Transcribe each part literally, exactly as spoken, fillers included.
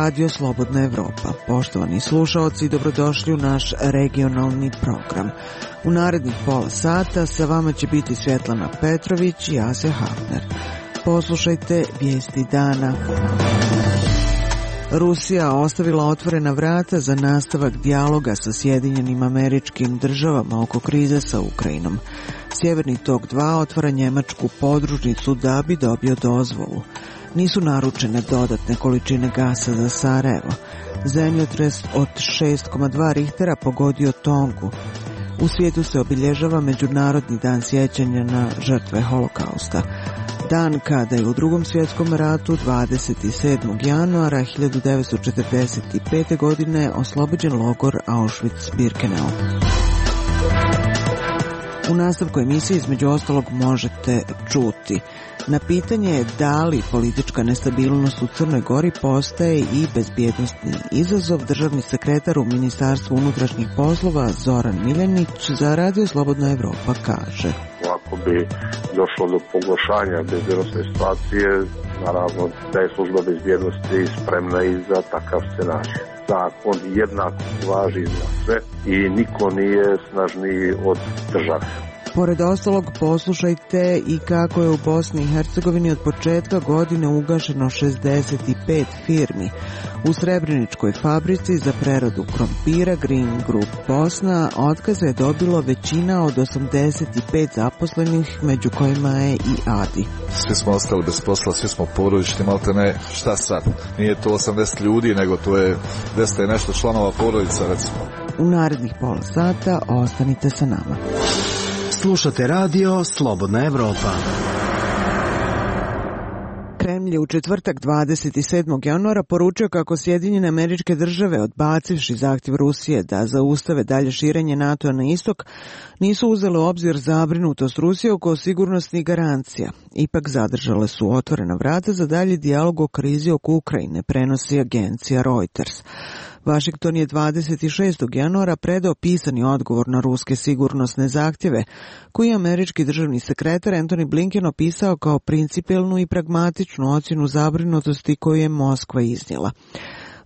Radio Slobodna Evropa. Poštovani slušaoci, dobrodošli u naš regionalni program. U narednih pola sata sa vama će biti Svjetlana Petrović i Asja Hafner. Poslušajte vijesti dana. Rusija ostavila otvorena vrata za nastavak dijaloga sa Sjedinjenim Američkim Državama oko krize sa Ukrajinom. Sjeverni tok dva otvara njemačku podružnicu da bi dobio dozvolu. Nisu naručene dodatne količine gasa za Sarajevo. Zemljotres od šest zarez dva Richtera pogodio Tongu. U svijetu se obilježava Međunarodni dan sjećanja na žrtve holokausta. Dan kada je u Drugom svjetskom ratu dvadeset sedmog januara hiljadu devetsto četrdeset pete. godine oslobođen logor Auschwitz-Birkenau. U nastavku emisije između ostalog možete čuti. Na pitanje da li politička nestabilnost u Crnoj Gori postaje i bezbjednosni izazov, državni sekretar u Ministarstvu unutrašnjih poslova Zoran Miljanić za Radio Slobodna Evropa kaže: Ako bi došlo do pogoršanja bezbjednosne situacije, naravno da je služba bezbjednosti spremna i za takav scenarij. Zakon jednako važi za sve i niko nije snažniji od države. Pored ostalog, poslušajte i kako je u Bosni i Hercegovini od početka godine ugašeno šezdeset pet firmi. U Srebreničkoj fabrici za preradu krompira Green Group Bosna otkaze je dobilo većina od osamdeset pet zaposlenih, među kojima je i Adi. Svi smo ostali bez posla, svi smo porodični, malte ne, šta sad? Nije to osamdeset ljudi, nego to je deset i nešto članova porodica, recimo. U narednih pola sata ostanite sa nama. Slušate radio Slobodna Evropa. Kremlj je u četvrtak dvadeset sedmog januara poručio kako Sjedinjene Američke Države, odbacivši zahtjev Rusije da zaustave dalje širenje NATO-a na istok, nisu uzele u obzir zabrinutost Rusije oko sigurnosnih garancija. Ipak zadržale su otvorena vrata za dalji dijalog o krizi oko Ukrajine, prenosi agencija Reuters. Washington je dvadeset šestog januara predao pisani odgovor na ruske sigurnosne zahtjeve, koji je američki državni sekretar Antony Blinken opisao kao principijelnu i pragmatičnu ocjenu zabrinutosti koju je Moskva iznijela.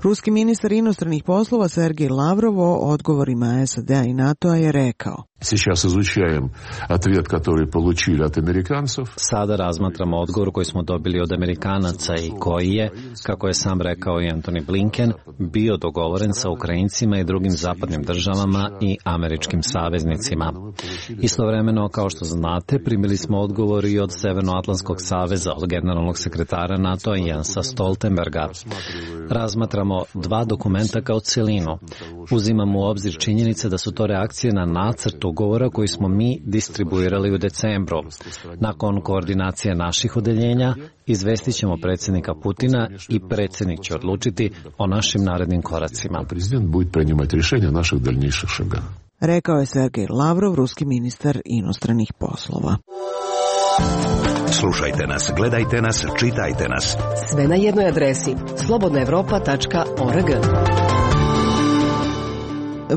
Ruski ministar inostranih poslova Sergej Lavrov o odgovorima S A D-a i NATO-a je rekao: Сейчас изучаем ответ, который получили от американцев. Sada razmatramo odgovor koji smo dobili od Amerikanaca i koji je, kako je sam rekao i Antony Blinken, bio dogovoren sa Ukrajincima i drugim zapadnim državama i američkim saveznicima. Istovremeno, kao što znate, primili smo odgovor i od Severnoatlantskog saveza, od generalnog sekretara NATO-a Jensa Stoltenberga. Razmatramo dva dokumenta kao cjelinu. Uzimamo u obzir činjenice da su to reakcije na nacrt ugovora koji smo mi distribuirali u decembru. Nakon koordinacije naših odeljenja, izvestit ćemo predsjednika Putina i predsjednik će odlučiti o našim narednim koracima. Prezident bude prenimati rješenja naših daljnjih šaga. Rekao je Sergej Lavrov, ruski ministar inostranih poslova. Slušajte nas, gledajte nas, čitajte nas. Sve na jednoj adresi slobodna evropa tačka org.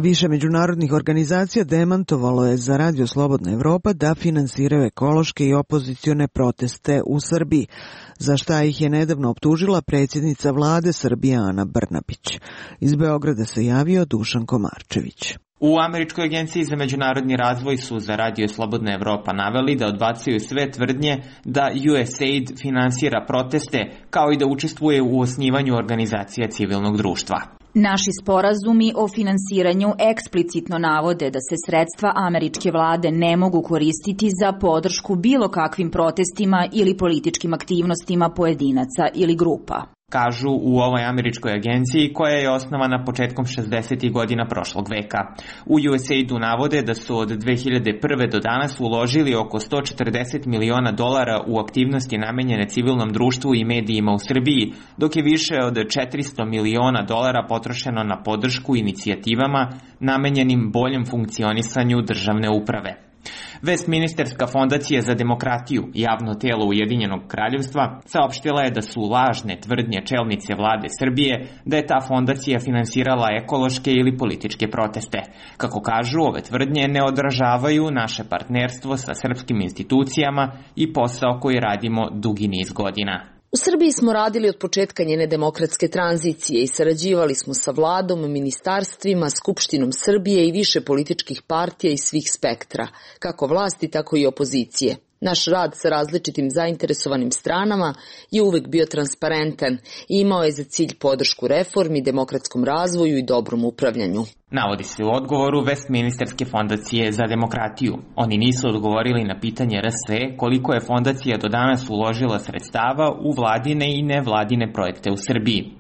Više međunarodnih organizacija demantovalo je za Radio Slobodna Evropa da finansiraju ekološke i opozicione proteste u Srbiji, za šta ih je nedavno optužila predsjednica vlade Srbije Ana Brnabić. Iz Beograda se javio Dušan Komarčević. U Američkoj agenciji za međunarodni razvoj su za Radio Slobodna Evropa naveli da odbacuju sve tvrdnje da U S A I D finansira proteste, kao i da učestvuje u osnivanju organizacija civilnog društva. Naši sporazumi o finansiranju eksplicitno navode da se sredstva američke vlade ne mogu koristiti za podršku bilo kakvim protestima ili političkim aktivnostima pojedinaca ili grupa, kažu u ovoj američkoj agenciji koja je osnovana početkom šezdesetih godina prošlog veka. U U S A I D-u navode da su od dve hiljade prve do danas uložili oko sto četrdeset miliona dolara u aktivnosti namenjene civilnom društvu i medijima u Srbiji, dok je više od četiristo miliona dolara potrošeno na podršku inicijativama namenjenim boljem funkcionisanju državne uprave. Westminsterska fondacija za demokratiju, javno telo Ujedinjenog kraljevstva, saopštila je da su lažne tvrdnje čelnice vlade Srbije da je ta fondacija finansirala ekološke ili političke proteste. Kako kažu, ove tvrdnje ne odražavaju naše partnerstvo sa srpskim institucijama i posao koji radimo dugi niz godina. U Srbiji smo radili od početka njene demokratske tranzicije i sarađivali smo sa vladom, ministarstvima, Skupštinom Srbije i više političkih partija iz svih spektra, kako vlasti, tako i opozicije. Naš rad sa različitim zainteresovanim stranama je uvek bio transparentan i imao je za cilj podršku reformi, demokratskom razvoju i dobrom upravljanju. Navodi se u odgovoru Westminsterske fondacije za demokratiju. Oni nisu odgovorili na pitanje R S E koliko je fondacija do danas uložila sredstava u vladine i nevladine projekte u Srbiji.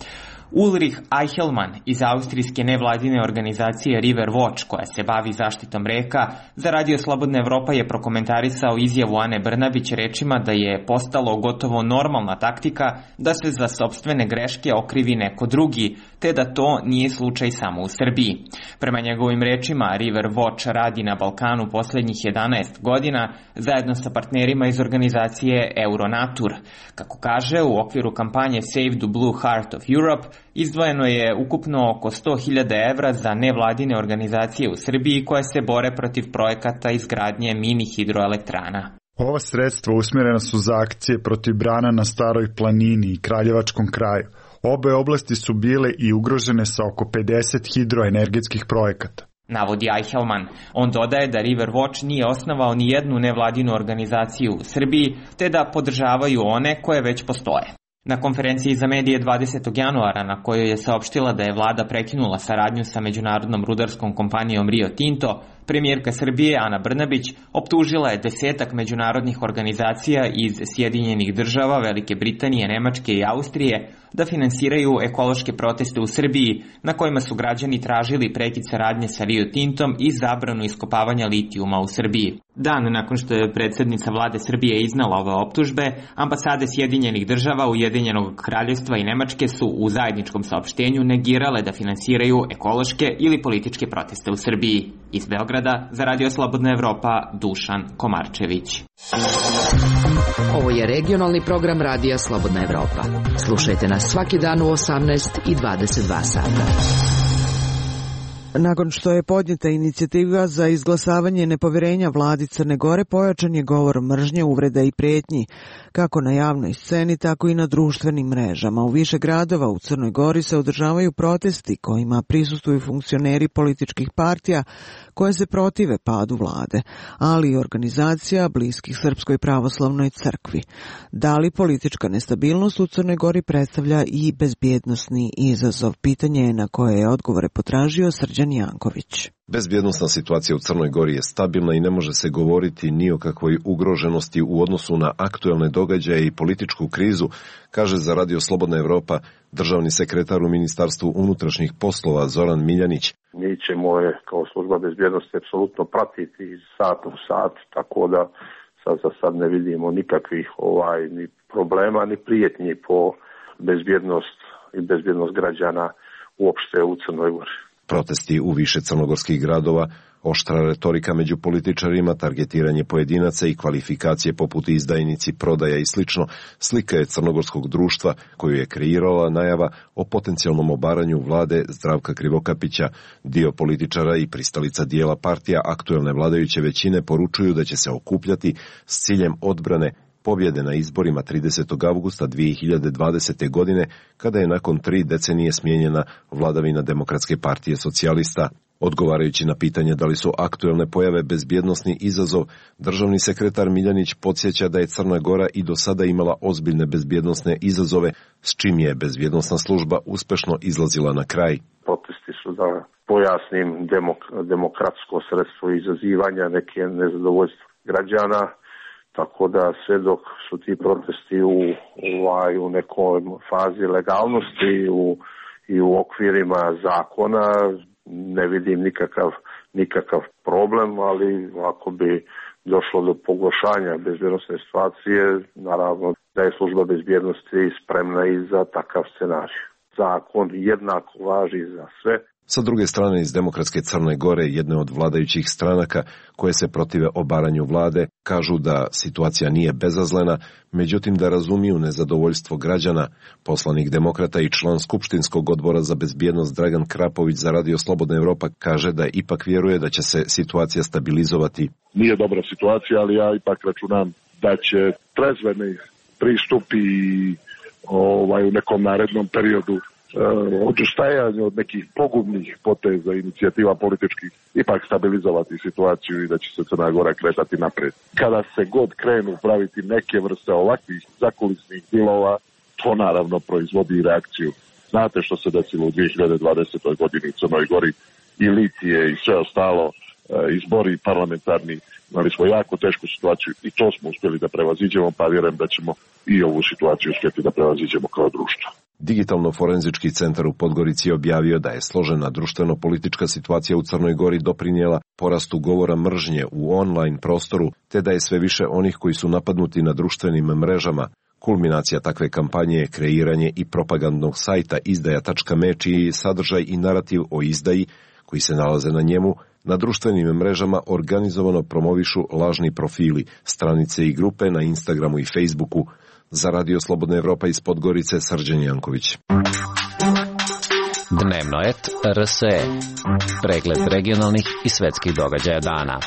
Ulrich Eichelmann iz austrijske nevladine organizacije River Watch, koja se bavi zaštitom reka, za Radio Slobodna Evropa je prokomentarisao izjavu Ane Brnabić rečima da je postalo gotovo normalna taktika da se za sopstvene greške okrivi neko drugi, te da to nije slučaj samo u Srbiji. Prema njegovim rečima, River Watch radi na Balkanu poslednjih jedanaest godina zajedno sa partnerima iz organizacije Euronatur. Kako kaže, u okviru kampanje Save the Blue Heart of Europe izdvojeno je ukupno oko sto hiljada evra za nevladine organizacije u Srbiji koje se bore protiv projekata izgradnje mini hidroelektrana. Ova sredstva usmjerena su za akcije protiv brana na Staroj planini i Kraljevačkom kraju. Obe oblasti su bile i ugrožene sa oko pedeset hidroenergetskih projekata. Navodi Eichelmann. On dodaje da River Watch nije osnovao ni jednu nevladinu organizaciju u Srbiji, te da podržavaju one koje već postoje. Na konferenciji za medije dvadesetog januara, na kojoj je saopštila da je vlada prekinula saradnju sa međunarodnom rudarskom kompanijom Rio Tinto, premijerka Srbije Ana Brnabić optužila je desetak međunarodnih organizacija iz Sjedinjenih država, Velike Britanije, Nemačke i Austrije da finansiraju ekološke proteste u Srbiji na kojima su građani tražili prekid saradnje sa Rio Tintom i zabranu iskopavanja litijuma u Srbiji. Dan nakon što je predsjednica vlade Srbije iznala ove optužbe, ambasade Sjedinjenih država, Ujedinjenog kraljevstva i Nemačke su u zajedničkom saopštenju negirale da finansiraju ekološke ili političke proteste u Srbiji. Iz Beograda za Radio Slobodna Evropa, Dušan Komarčević. Ovo je regionalni program Radija Slobodna Evropa. Slušajte nas svaki dan u osamnaest i dvadeset dva sata. Nakon što je podnijeta inicijativa za izglasavanje nepovjerenja vladi Crne Gore, pojačan je govor mržnje, uvreda i prijetnji, kako na javnoj sceni, tako i na društvenim mrežama. U više gradova u Crnoj Gori se održavaju protesti kojima prisustvuju funkcioneri političkih partija koje se protive padu vlade, ali i organizacija bliskih Srpskoj pravoslavnoj crkvi. Da li politička nestabilnost u Crnoj Gori predstavlja i bezbjednosni izazov? Pitanje je na koje je odgovore potražio Srđan Janković. Bezbjednosna situacija u Crnoj Gori je stabilna i ne može se govoriti ni o kakvoj ugroženosti u odnosu na aktuelne događaje i političku krizu, kaže za Radio Slobodna Evropa državni sekretar u Ministarstvu unutrašnjih poslova Zoran Miljanić. Mi ćemo je kao služba bezbjednosti apsolutno pratiti iz sata u sat, tako da sad za sad ne vidimo nikakvih ovaj ni problema ni prijetnji po bezbjednost i bezbjednost građana uopšte u Crnoj Gori. Protesti u više crnogorskih gradova, oštra retorika među političarima, targetiranje pojedinaca i kvalifikacije poput izdajnici, prodaja i slično, slika je crnogorskog društva koju je kreirala najava o potencijalnom obaranju vlade Zdravka Krivokapića. Dio političara i pristalica dijela partija aktuelne vladajuće većine poručuju da će se okupljati s ciljem odbrane pobjede na izborima tridesetog avgusta dvije hiljade dvadesete. godine, kada je nakon tri decenije smijenjena vladavina Demokratske partije socijalista. Odgovarajući na pitanje da li su aktuelne pojave bezbjednosni izazov, državni sekretar Miljanić podsjeća da je Crna Gora i do sada imala ozbiljne bezbjednosne izazove, s čim je bezbjednosna služba uspešno izlazila na kraj. Protesti su, da pojasnim, demok- demokratsko sredstvo izazivanja neke nezadovoljstva građana, tako da sve dok su ti protesti u, ovaj, u nekoj fazi legalnosti u, i u okvirima zakona, ne vidim nikakav, nikakav problem, ali ako bi došlo do pogoršanja bezbjednosne situacije, naravno da je služba bezbjednosti spremna i za takav scenarij. Zakon jednako važi za sve. Sa druge strane, iz Demokratske Crne Gore, jedne od vladajućih stranaka koje se protive obaranju vlade, kažu da situacija nije bezazlena, međutim da razumiju nezadovoljstvo građana. Poslanik Demokrata i član Skupštinskog odbora za bezbjednost Dragan Krapović za Radio Slobodna Evropa kaže da ipak vjeruje da će se situacija stabilizovati. Nije dobra situacija, ali ja ipak računam da će trezveni pristup i ovaj, u nekom narednom periodu odustajanje od nekih pogubnih poteza, inicijativa političkih, ipak stabilizovati situaciju i da će se Crna Gora kretati napred. Kada se god krenu praviti neke vrste ovakvih zakulisnih dilova, to naravno proizvodi reakciju. Znate što se desilo u dvije hiljade dvadesetoj godini u Crnoj Gori, i Litije i sve ostalo, izbori parlamentarni, imali smo jako tešku situaciju i to smo uspjeli da prevaziđemo, pa vjerujem da ćemo i ovu situaciju uspjeti da prevaziđemo kao društvo. Digitalno-forenzički centar u Podgorici objavio da je složena društveno-politička situacija u Crnoj Gori doprinijela porastu govora mržnje u online prostoru, te da je sve više onih koji su napadnuti na društvenim mrežama. Kulminacija takve kampanje je kreiranje i propagandnog sajta izdaja tačka me, čiji sadržaj i narativ o izdaji, koji se nalaze na njemu, na društvenim mrežama organizovano promovišu lažni profili, stranice i grupe na Instagramu i Facebooku. Za Radio Slobodna Evropa iz Podgorice, Srđan Janković. Dnevnoet R S E. Pregled regionalnih i svetskih događaja dana.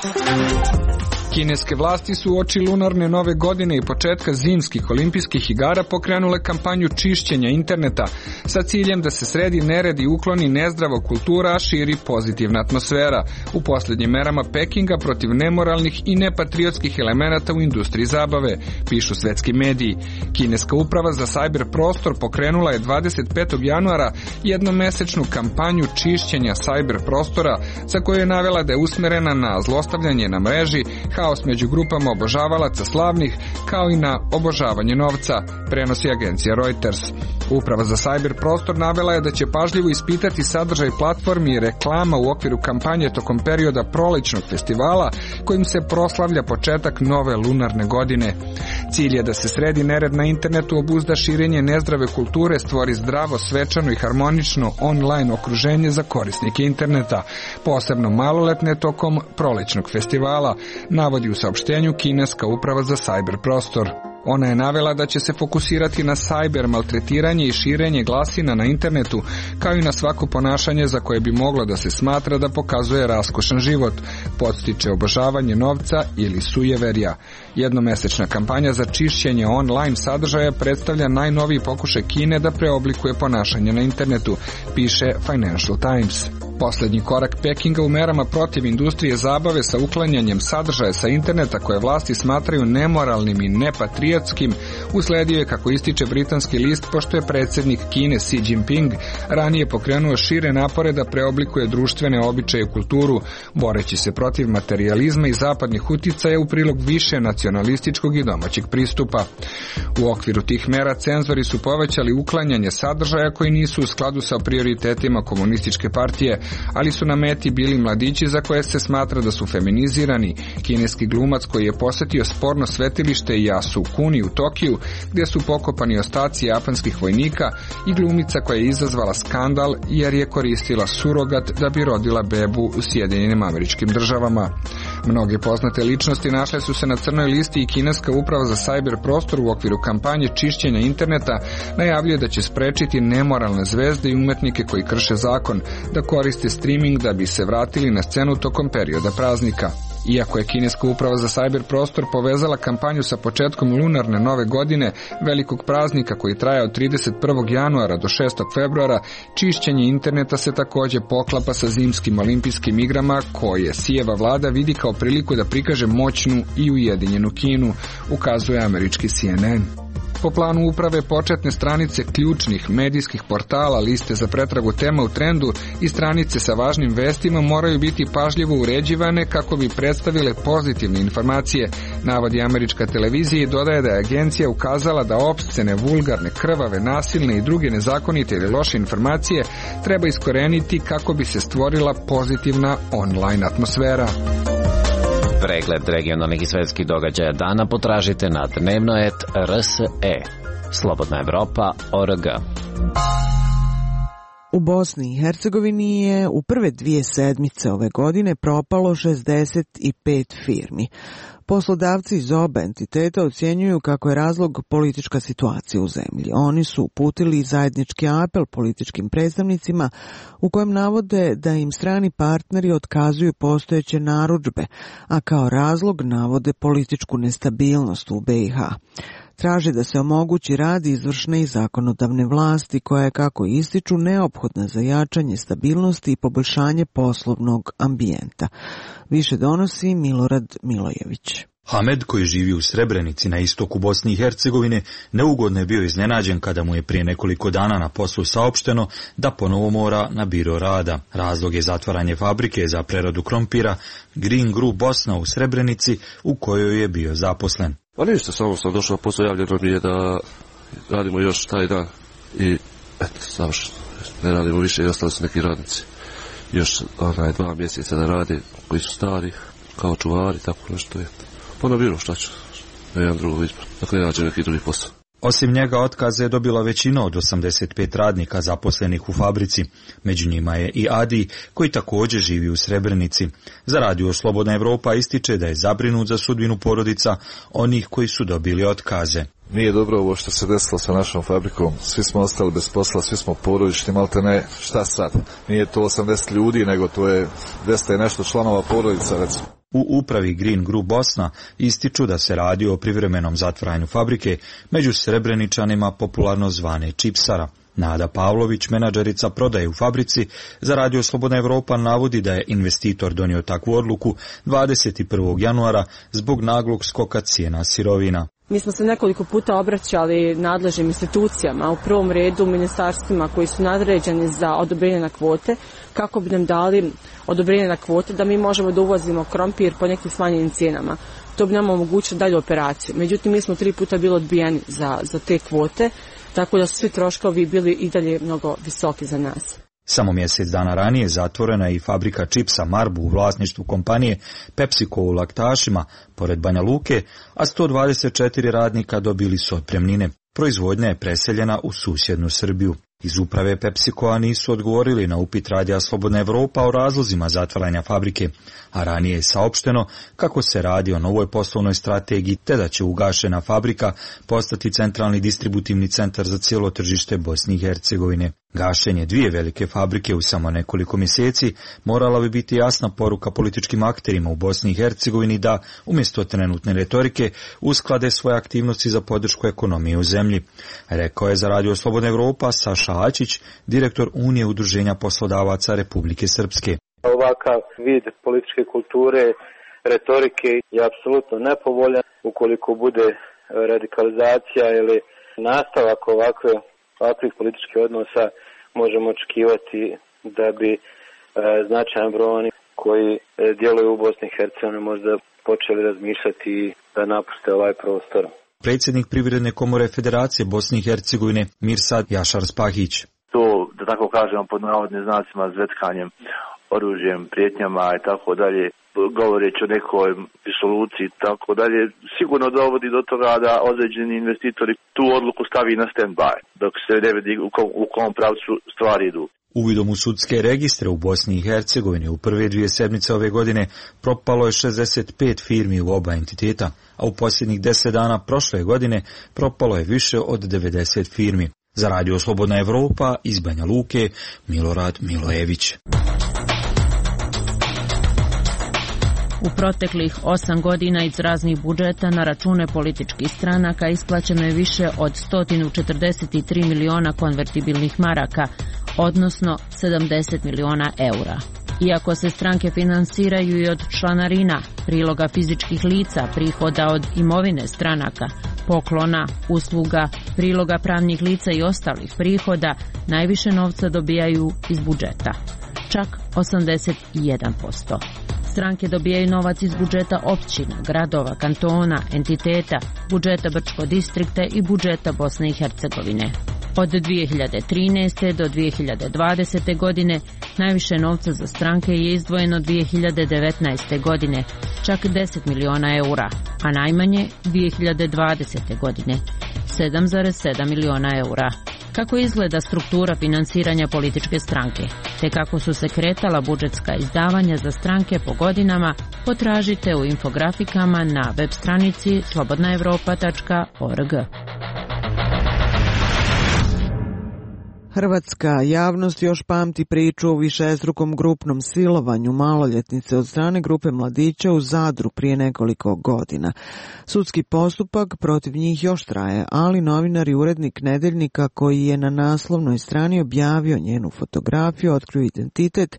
Kineske vlasti su uoči lunarne nove godine i početka zimskih olimpijskih igara pokrenule kampanju čišćenja interneta sa ciljem da se sredi nered i ukloni nezdrava kultura, a širi pozitivna atmosfera u posljednjim merama Pekinga protiv nemoralnih i nepatriotskih elemenata u industriji zabave, pišu svetski mediji. Kineska uprava za sajber prostor pokrenula je dvadeset petog januara jednomesečnu kampanju čišćenja sajber prostora, za koju je navela da je usmerena na zlostavljanje na mreži, haos među grupama obožavalaca slavnih, kao i na obožavanje novca, prenosi agencija Reuters. Uprava za sajber prostor navela je da će pažljivo ispitati sadržaj platformi i reklama u okviru kampanje tokom perioda prolećnog festivala, kojim se proslavlja početak nove lunarne godine. Cilj je da se sredi nered na internetu, obuzda širenje nezdrave kulture, stvori zdravo, svečano i harmonično online okruženje za korisnike interneta, posebno maloletne tokom prolećnog festivala, navodi u saopštenju kineska uprava za sajber prostor. Ona je navela da će se fokusirati na sajber maltretiranje i širenje glasina na internetu, kao i na svako ponašanje za koje bi moglo da se smatra da pokazuje raskošan život, podstiče obožavanje novca ili sujeverja. Jednomesečna kampanja za čišćenje online sadržaja predstavlja najnoviji pokušaj Kine da preoblikuje ponašanje na internetu, piše Financial Times. Poslednji korak Pekinga u merama protiv industrije zabave sa uklanjanjem sadržaja sa interneta koje vlasti smatraju nemoralnim i nepatriotskim usledio je, kako ističe britanski list, pošto je predsjednik Kine Xi Jinping ranije pokrenuo šire napore da preoblikuje društvene običaje i kulturu, boreći se protiv materijalizma i zapadnih uticaja u prilog više nacionalističkog i domaćeg pristupa. U okviru tih mera cenzori su povećali uklanjanje sadržaja koji nisu u skladu sa prioritetima komunističke partije, ali su na meti bili mladići za koje se smatra da su feminizirani, kineski glumac koji je posetio sporno svetilište Yasukuni u Tokiju, gdje su pokopani ostaci japanskih vojnika, i glumica koja je izazvala skandal jer je koristila surogat da bi rodila bebu u Sjedinjenim Američkim Državama. Mnoge poznate ličnosti našle su se na crnoj listi i kineska uprava za sajber prostor u okviru kampanje čišćenja interneta najavljuje da će sprečiti nemoralne zvezde i umetnike koji krše zakon da koriste streaming da bi se vratili na scenu tokom perioda praznika. Iako je kineska uprava za sajber prostor povezala kampanju sa početkom lunarne nove godine, velikog praznika koji traje od trideset prvog januara do šestog februara, čišćenje interneta se također poklapa sa zimskim olimpijskim igrama koje Xijeva vlada vidi kao priliku da prikaže moćnu i ujedinjenu Kinu, ukazuje američki C N N. Po planu uprave, početne stranice ključnih medijskih portala, liste za pretragu tema u trendu i stranice sa važnim vestima moraju biti pažljivo uređivane kako bi predstavile pozitivne informacije, navodi američka televizija i dodaje da je agencija ukazala da opscene, vulgarne, krvave, nasilne i druge nezakonite ili loše informacije treba iskoreniti kako bi se stvorila pozitivna online atmosfera. Pregled regionalnih i svetskih događaja dana potražite na dnevnoet R S E. Slobodna Evropa точка org. U Bosni i Hercegovini je u prve dvije sedmice ove godine propalo šezdeset pet firmi. Poslodavci iz oba entiteta ocjenjuju kako je razlog politička situacija u zemlji. Oni su uputili zajednički apel političkim predstavnicima u kojem navode da im strani partneri otkazuju postojeće narudžbe, a kao razlog navode političku nestabilnost u B i H. Traži da se omogući rad izvršne i zakonodavne vlasti koja je, kako ističu, neophodna za jačanje stabilnosti i poboljšanje poslovnog ambijenta. Više donosi Milorad Milojević. Hamed, koji živi u Srebrenici na istoku Bosne i Hercegovine, neugodno je bio iznenađen kada mu je prije nekoliko dana na poslu saopšteno da ponovo mora na biro rada. Razlog je zatvaranje fabrike za preradu krompira Green Group Bosna u Srebrenici, u kojoj je bio zaposlen. Pa ništa, samo sam došao, posao javljeno mi je da radimo još taj dan i eto, završeno. Ne radimo više i ostali su neki radnici. Još onaj dva mjeseca da radi, koji su stari, kao čuvari, tako nešto je. Pa na biro, šta ću, ne jedan drugog izbor, dakle ne nađe neki drugi posao. Osim njega otkaze je dobila većina od osamdeset pet radnika zaposlenih u fabrici. Među njima je i Adi, koji također živi u Srebrenici. Za Radio Slobodna Evropa ističe da je zabrinut za sudbinu porodica onih koji su dobili otkaze. Nije dobro ovo što se desilo sa našom fabrikom. Svi smo ostali bez posla, svi smo porodični, malte ne, šta sad? Nije to osamdeset ljudi, nego to je dvesta i nešto članova porodica, recimo. U upravi Green Group Bosna ističu da se radi o privremenom zatvaranju fabrike među Srebreničanima popularno zvane Čipsara. Nada Pavlović, menadžerica prodaje u fabrici, za Radio Slobodna Evropa navodi da je investitor donio takvu odluku dvadeset prvog januara zbog naglog skoka cijena sirovina. Mi smo se nekoliko puta obraćali nadležnim institucijama, u prvom redu ministarstvima koji su nadređeni za odobrenje na kvote, kako bi nam dali odobrenje na kvote da mi možemo da uvozimo krompir po nekim smanjenim cijenama. To bi nam omogućilo dalju operaciju. Međutim, mi smo tri puta bili odbijeni za, za te kvote, tako da su svi troškovi bili i dalje mnogo visoki za nas. Samo mjesec dana ranije zatvorena je i fabrika čipsa Marbu u vlasništvu kompanije PepsiCo u Laktašima, pored Banja Luke, a sto dvadeset četiri radnika dobili su otpremnine. Proizvodnja je preseljena u susjednu Srbiju. Iz uprave PepsiCoa nisu odgovorili na upit Radija Slobodna Evropa o razlozima zatvaranja fabrike, a ranije je saopšteno kako se radi o novoj poslovnoj strategiji te da će ugašena fabrika postati centralni distributivni centar za cijelo tržište Bosne i Hercegovine. Gašenje dvije velike fabrike u samo nekoliko mjeseci morala bi biti jasna poruka političkim akterima u Bosni i Hercegovini da, umjesto trenutne retorike, usklade svoje aktivnosti za podršku ekonomije u zemlji. Rekao je za Radio Slobodna Evropa Saša Ačić, direktor Unije udruženja poslodavaca Republike Srpske. Ovakav vid političke kulture, retorike je apsolutno nepovoljan. Ukoliko bude radikalizacija ili nastavak ovakve, ovakvih političkih odnosa, možemo očekivati da bi e, značajan broj onih koji e, djeluju u Bosni i Hercegovini možda počeli razmišljati da napuste ovaj prostor. Predsjednik Privredne komore Federacije Bosne i Hercegovine Mirsad Jašar Spahić. To, da tako kažemo, pod navodnim znacima zvetkanjem, oružjem, prijetnjama i tako dalje, govoreći o nekoj disoluciji i tako dalje, sigurno dovodi do toga da određeni investitori tu odluku stavi na stand-by, dok se ne vidi u kom, u kom pravcu stvari idu. Uvidom u sudske registre u Bosni i Hercegovini u prve dvije sedmice ove godine propalo je šezdeset pet firmi u oba entiteta, a u posljednjih deset dana prošle godine propalo je više od devedeset firmi. Za Radio Slobodna Evropa iz Banja Luke, Milorad Milojević. U proteklih osam godina iz raznih budžeta na račune političkih stranaka isplaćeno je više od sto četrdeset tri miliona konvertibilnih maraka, odnosno sedamdeset miliona eura. Iako se stranke finansiraju i od članarina, priloga fizičkih lica, prihoda od imovine stranaka, poklona, usluga, priloga pravnih lica i ostalih prihoda, najviše novca dobijaju iz budžeta, čak osamdeset jedan posto. Stranke dobijaju novac iz budžeta općina, gradova, kantona, entiteta, budžeta Brčko distrikta i budžeta Bosne i Hercegovine. Od dvije hiljade trinaeste. do dvije hiljade dvadesete. godine najviše novca za stranke je izdvojeno dvije hiljade devetnaeste. godine, čak deset miliona eura, a najmanje dvije hiljade dvadesete. godine, sedam zarez sedam miliona eura. Kako izgleda struktura finansiranja političke stranke, te kako su se kretala budžetska izdavanja za stranke po godinama, potražite u infografikama na web stranici slobodna evropa tačka org. Hrvatska javnost još pamti priču o višestrukom grupnom silovanju maloljetnice od strane grupe mladića u Zadru prije nekoliko godina. Sudski postupak protiv njih još traje, ali novinar i urednik Nedeljnika koji je na naslovnoj strani objavio njenu fotografiju, otkrio identitet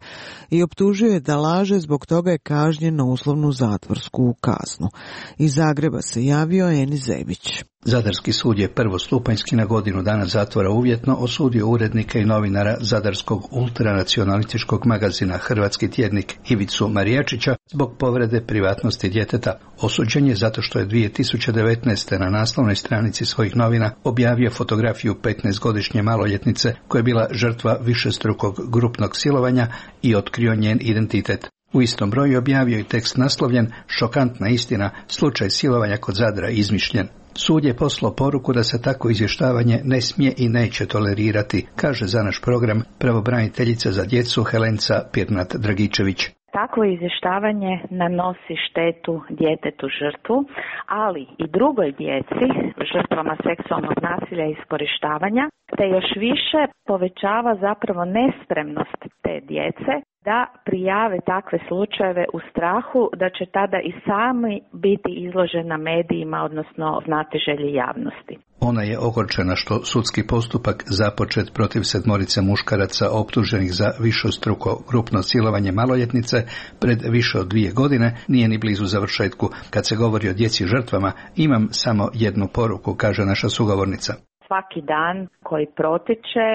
i optužio je da laže, zbog toga je kažnjen na uslovnu zatvorsku kaznu. Iz Zagreba se javio Eni Zebić. Zadarski sud je prvostupanjski na godinu dana zatvora uvjetno osudio urednika i novinara zadarskog ultranacionalističkog magazina Hrvatski tjednik Ivicu Marijačića zbog povrede privatnosti djeteta. Osuđen je zato što je dvije tisuće devetnaeste. na naslovnoj stranici svojih novina objavio fotografiju petnaestogodišnje maloljetnice koja je bila žrtva višestrukog grupnog silovanja i otkrio njen identitet. U istom broju objavio i tekst naslovljen "Šokantna istina, slučaj silovanja kod Zadra izmišljen". Sud je poslao poruku da se tako izvještavanje ne smije i neće tolerirati, kaže za naš program pravobraniteljica za djecu Helenca Pirnat-Dragičević. Takvo izvještavanje nanosi štetu djetetu žrtvu, ali i drugoj djeci, žrtvama seksualnog nasilja i iskorištavanja, te još više povećava zapravo nespremnost te djece da prijave takve slučajeve u strahu da će tada i sami biti izložena medijima, odnosno znatiželji javnosti. Ona je ogorčena što sudski postupak započet protiv sedmorice muškaraca optuženih za višestruko grupno silovanje maloljetnice pred više od dvije godine nije ni blizu završetku. Kad se govori o djeci žrtvama, imam samo jednu poruku, kaže naša sugovornica. Svaki dan koji protiče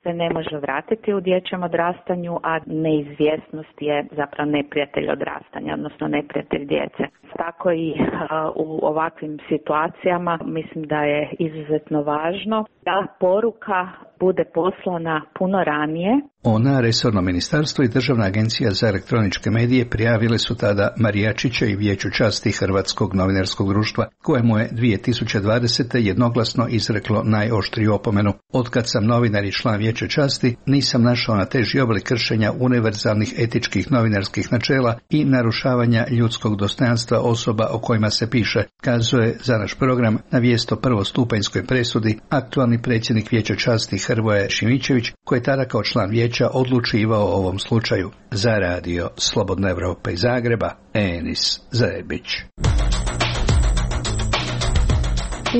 se ne može vratiti u dječjem odrastanju, a neizvjesnost je zapravo neprijatelj odrastanja, odnosno neprijatelj djece. Tako i uh, u ovakvim situacijama mislim da je izuzetno važno da poruka bude poslana puno ranije. Ona, resorno ministarstvo i Državna agencija za elektroničke medije prijavile su tada Marijačića i Vijeću časti Hrvatskog novinarskog društva, kojemu je dvije tisuće dvadesete. jednoglasno izreklo najoštriju opomenu. Otkad sam novinar i član Vijeća časti, nisam našao na teži oblik kršenja univerzalnih etičkih novinarskih načela i narušavanja ljudskog dostojanstva osoba o kojima se piše, kazuje za naš program na vijest o prvostupanjskoj presudi aktualni predsjednik Vijeća časti Hrvoje Šimičević, koji je tada kao član vijeća odlučivao o ovom slučaju. Za radio Slobodna Evropa iz Zagreba, Enis Zebić.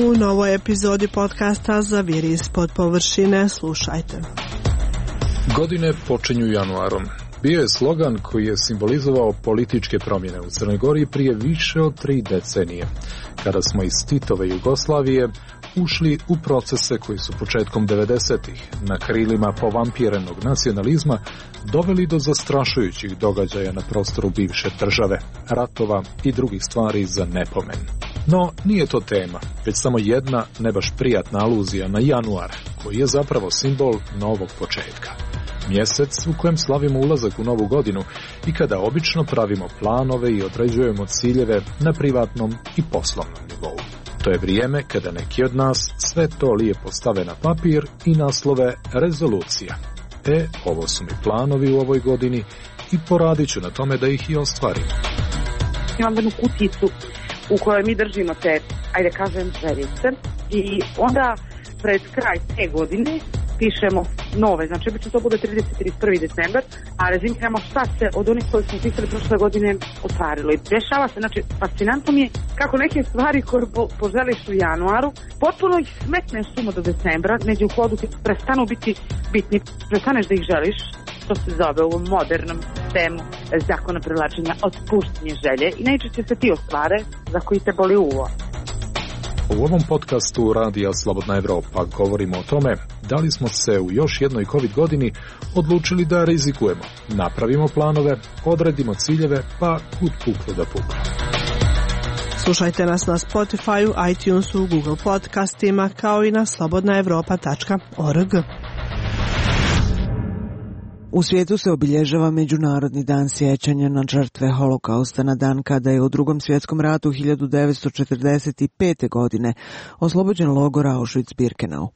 U novoj epizodi podcasta Zaviri ispod površine slušajte. Godine počinju januarom. Bio je slogan koji je simbolizovao političke promjene u Crnoj Gori prije više od tri decenije, kada smo iz Titove Jugoslavije ušli u procese koji su početkom devedesetih na krilima povampirenog nacionalizma doveli do zastrašujućih događaja na prostoru bivše države, ratova i drugih stvari za nepomen. No, nije to tema, već samo jedna ne baš prijatna aluzija na januar, koji je zapravo simbol novog početka. Mjesec u kojem slavimo ulazak u novu godinu i kada obično pravimo planove i određujemo ciljeve na privatnom i poslovnom nivou. To je vrijeme kada neki od nas sve to lijepo stave na papir i naslove rezolucija. E, ovo su mi planovi u ovoj godini i poradit ću na tome da ih i ostvarim. Imam jednu kuticu u kojoj mi držimo te, ajde kažem, željice i onda pred kraj te godine pišemo nove, znači obično to bude trideseti i trideset prvi decembar, a rezimiramo šta se od onih koje smo pisali prošle godine ostvarilo. I dešava se, znači fascinantno mi je kako neke stvari koje po, poželiš u januaru, potpuno ih smetneš sumo do decembra, neđe u hodu ti prestanu biti bitni, prestaneš da ih želiš, to se zove u ovom modernom sistemu zakona privlačenja otpuštanje želje i najčešće se ti ostvare za koji te boli uvo. U ovom podcastu Radija Slobodna Evropa govorimo o tome da li smo se u još jednoj COVID godini odlučili da rizikujemo, napravimo planove, odredimo ciljeve, pa kud puklo da puklo. Slušajte nas na Spotify, iTunesu, Google podcastima kao i na slobodna evropa tačka org. U svijetu se obilježava Međunarodni dan sjećanja na žrtve Holokausta na dan kada je u Drugom svjetskom ratu hiljadu devetsto četrdeset pete. godine oslobođen logor Auschwitz-Birkenau.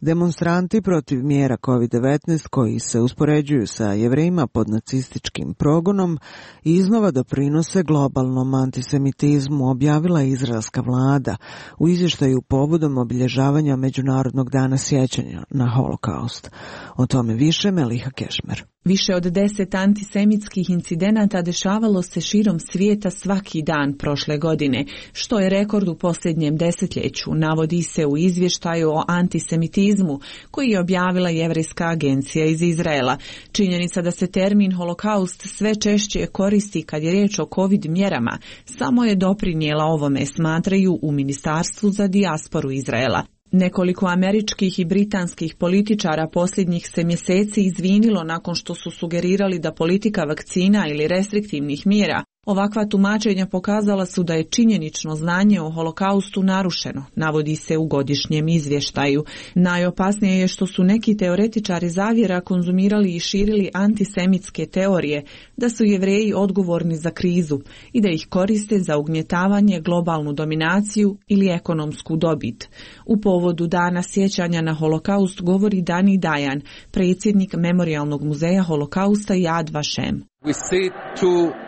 Demonstranti protiv mjera kovid devetnaest koji se uspoređuju sa Jevrejima pod nacističkim progonom iznova doprinose globalnom antisemitizmu, objavila je izraelska vlada u izvještaju povodom obilježavanja Međunarodnog dana sjećanja na holokaust. O tome više Meliha Kešmer. Više od deset antisemitskih incidenata dešavalo se širom svijeta svaki dan prošle godine, što je rekord u posljednjem desetljeću, navodi se u izvještaju o antisemitizmu koji je objavila Jevrejska agencija iz Izraela. Činjenica da se termin holokaust sve češće koristi kad je riječ o covid mjerama samo je doprinijela ovome, smatraju u Ministarstvu za dijasporu Izraela. Nekoliko američkih i britanskih političara posljednjih se mjeseci izvinilo nakon što su sugerirali da politika vakcina ili restriktivnih mjera. Ovakva tumačenja pokazala su da je činjenično znanje o holokaustu narušeno, navodi se u godišnjem izvještaju. Najopasnije je što su neki teoretičari zavjera konzumirali i širili antisemitske teorije, da su Jevreji odgovorni za krizu i da ih koriste za ugnjetavanje, globalnu dominaciju ili ekonomsku dobit. U povodu Dana sjećanja na holokaust govori Dani Dajan, predsjednik Memorijalnog muzeja holokausta Yad Vashem. We see two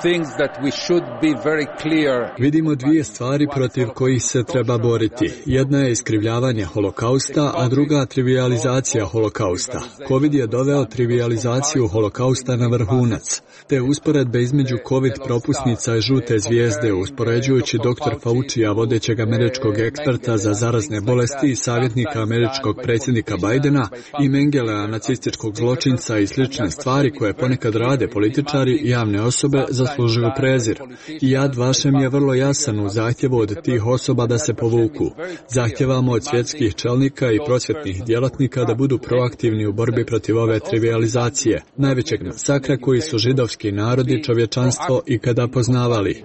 things that we should be very clear. Vidimo dvije stvari protiv kojih se treba boriti. Jedna je iskrivljavanje holokausta, a druga trivializacija holokausta. Covid je doveo trivializaciju holokausta na vrhunac. Te usporedbe između Covid propusnica i žute zvijezde, uspoređujući doktor Faucija, vodećeg američkog eksperta za zarazne bolesti i savjetnika američkog predsjednika Bidena, i Mengelea, nacističkog zločinca i slične stvari koje ponekad rade političari i javne osobe, zaslužuju prezir. I Yad Vashem je vrlo jasan u zahtjevu od tih osoba da se povuku. Zahtjevamo od svjetskih čelnika i prosvjetnih djelatnika da budu proaktivni u borbi protiv ove trivializacije, najvećeg masakra koji su židovski narod i čovječanstvo ikada poznavali.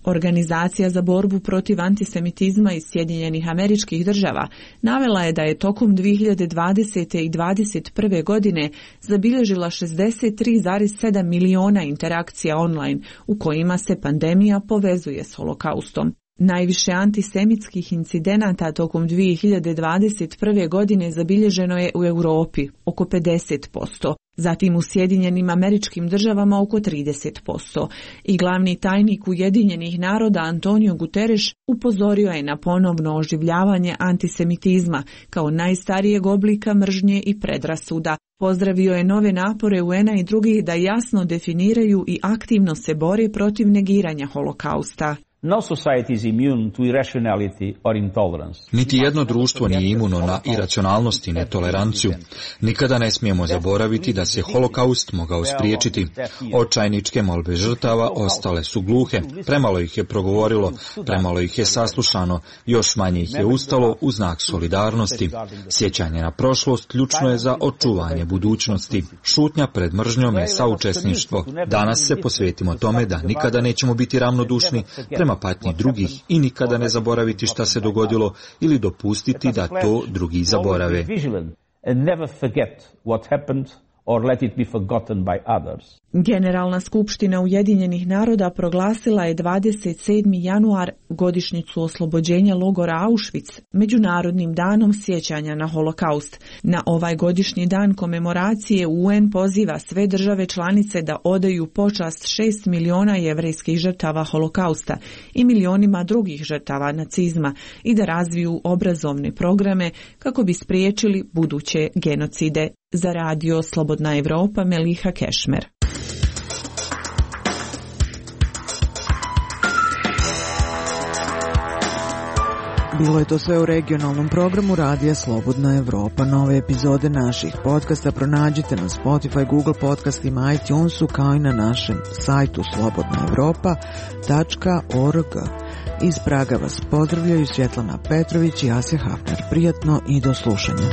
Organizacija za borbu protiv antisemitizma iz Sjedinjenih Američkih Država navela je da je tokom dvije hiljade dvadesete i dvadeset prve godine zabilježila šezdeset tri zarez sedam miliona interakcija online u kojima se pandemija povezuje s holokaustom. Najviše antisemitskih incidenata tokom dvije hiljade dvadeset prve godine zabilježeno je u Europi, oko pedeset posto, zatim u Sjedinjenim Američkim Državama oko trideset posto. I glavni tajnik Ujedinjenih naroda Antonio Guterres upozorio je na ponovno oživljavanje antisemitizma kao najstarijeg oblika mržnje i predrasuda. Pozdravio je nove napore U N-a i drugih da jasno definiraju i aktivno se bore protiv negiranja holokausta. No society is immune to irrationality or intolerance. Niti jedno društvo nije imuno na iracionalnost i netoleranciju. Nikada ne smijemo zaboraviti da se holokaust mogao spriječiti. Očajničke molbe žrtava ostale su gluhe. Premalo ih je progovorilo, premalo ih je saslušano, još manje ih je ustalo u znak solidarnosti. Sjećanje na prošlost ključno je za očuvanje budućnosti. Šutnja pred mržnjom je saučesništvo. Danas se posvetimo tome da nikada nećemo biti ravnodušni prema patnji drugih i nikada ne zaboraviti šta se dogodilo ili dopustiti da to drugi zaborave. Or let it be forgotten by others. Generalna skupština Ujedinjenih naroda proglasila je dvadeset sedmi januar godišnjicu oslobođenja logora Auschwitz Međunarodnim danom sjećanja na holokaust. Na ovaj godišnji dan komemoracije U N poziva sve države članice da odaju počast šest miliona jevrejskih žrtava holokausta i milionima drugih žrtava nacizma i da razviju obrazovne programe kako bi spriječili buduće genocide. Za radio Slobodna Evropa, Meliha Kešmer. Bilo je to sve u regionalnom programu Radija Slobodna Evropa. Nove epizode naših podcasta pronađite na Spotify, Google podcastima, iTunesu kao i na našem sajtu slobodna evropa tačka org. Iz Praga vas pozdravljaju Svjetlana Petrović i Asja Hafner. Prijatno i do slušanja.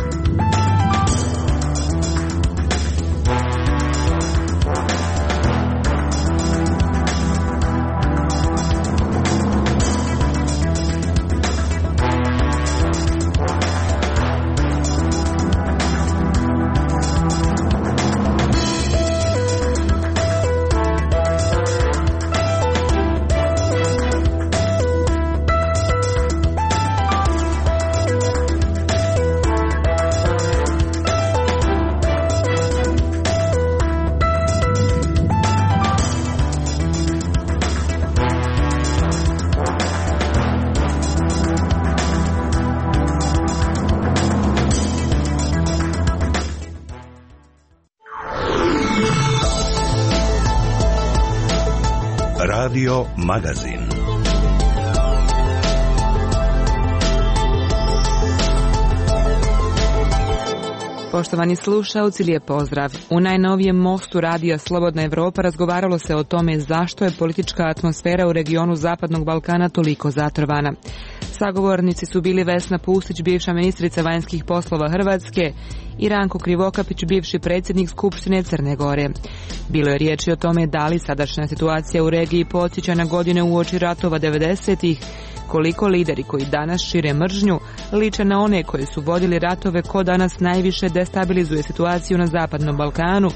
Radio Magazin. Poštovani slušaoci, lijep pozdrav. U najnovijem mostu radija Slobodna Evropa razgovaralo se o tome zašto je politička atmosfera u regionu Zapadnog Balkana toliko zatrovana. Sagovornici su bili Vesna Pusić, bivša ministrica vanjskih poslova Hrvatske, i Ranko Krivokapić, bivši predsjednik Skupštine Crne Gore. Bilo je riječi o tome da li sadašnja situacija u regiji podsjeća na godine uoči ratova devedesetih, koliko lideri koji danas šire mržnju liče na one koji su vodili ratove, ko danas najviše destabilizuje situaciju na Zapadnom Balkanu,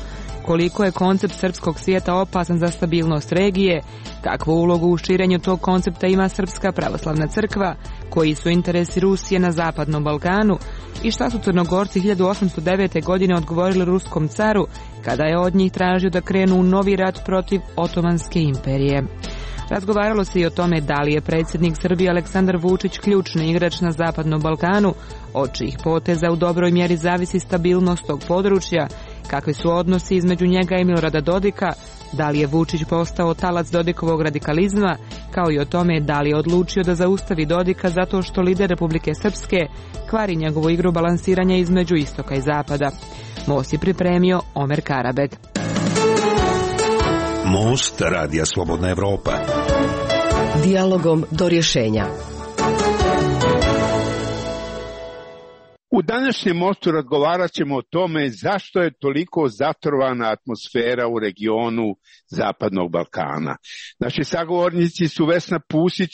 koliko je koncept srpskog svijeta opasan za stabilnost regije, kakvu ulogu u širenju tog koncepta ima Srpska pravoslavna crkva, koji su interesi Rusije na Zapadnom Balkanu i šta su Crnogorci hiljadu osamsto devete. godine odgovorili ruskom caru kada je od njih tražio da krenu u novi rat protiv Otomanske imperije. Razgovaralo se i o tome da li je predsjednik Srbije Aleksandar Vučić ključni igrač na Zapadnom Balkanu, od čijih poteza u dobroj mjeri zavisi stabilnost tog područja, kakvi su odnosi između njega i Milorada Dodika, da li je Vučić postao talac Dodikovog radikalizma, kao i o tome da li je odlučio da zaustavi Dodika zato što lider Republike Srpske kvari njegovu igru balansiranja između istoka i zapada. Most je pripremio Omer Karabeg. Most radija Slobodna Evropa. Dijalogom do rješenja. U današnjem mostu razgovarat ćemo o tome zašto je toliko zatrovana atmosfera u regionu Zapadnog Balkana. Naši sagovornici su Vesna Pusić,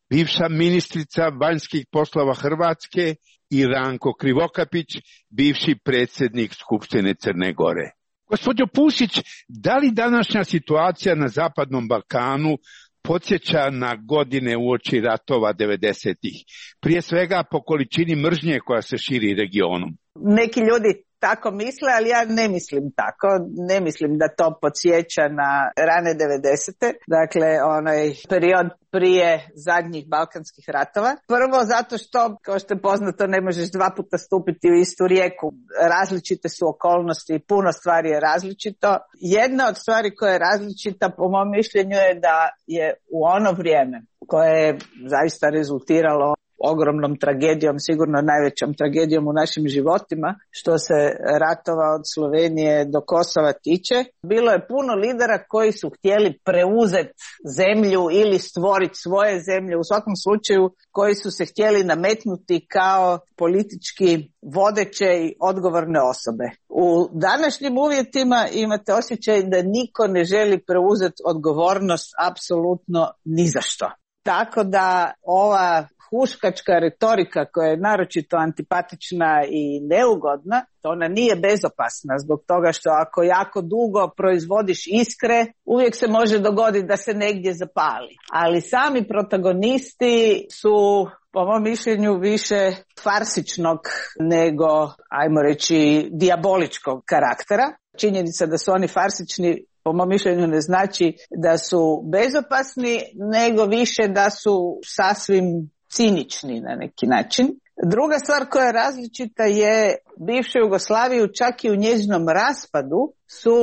bivša ministrica vanjskih poslova Hrvatske, i Ranko Krivokapić, bivši predsjednik Skupštine Crne Gore. Gospođo Pusić, da li današnja situacija na Zapadnom Balkanu podsjeća na godine uoči ratova devedesetih, prije svega po količini mržnje koja se širi regionom? Neki ljudi tako misle, ali ja ne mislim tako. Ne mislim da to podsjeća na rane devedesete, dakle onaj period prije zadnjih balkanskih ratova. Prvo zato što, kao što je poznato, ne možeš dva puta stupiti u istu rijeku. Različite su okolnosti i puno stvari je različito. Jedna od stvari koja je različita, po mom mišljenju, je da je u ono vrijeme koje je zaista rezultiralo ogromnom tragedijom, sigurno najvećom tragedijom u našim životima, što se ratova od Slovenije do Kosova tiče. Bilo je puno lidera koji su htjeli preuzeti zemlju ili stvoriti svoje zemlje, u svakom slučaju koji su se htjeli nametnuti kao politički vodeće i odgovorne osobe. U današnjim uvjetima imate osjećaj da niko ne želi preuzeti odgovornost apsolutno ni za što. Tako da ova huškačka retorika koja je naročito antipatična i neugodna, ona nije bezopasna zbog toga što ako jako dugo proizvodiš iskre, uvijek se može dogoditi da se negdje zapali. Ali sami protagonisti su, po mom mišljenju, više farsičnog nego, ajmo reći, dijaboličkog karaktera. Činjenica da su oni farsični, po mom mišljenju, ne znači da su bezopasni, nego više da su sasvim cinični na neki način. Druga stvar koja je različita je bivša Jugoslaviju, čak i u njezinom raspadu su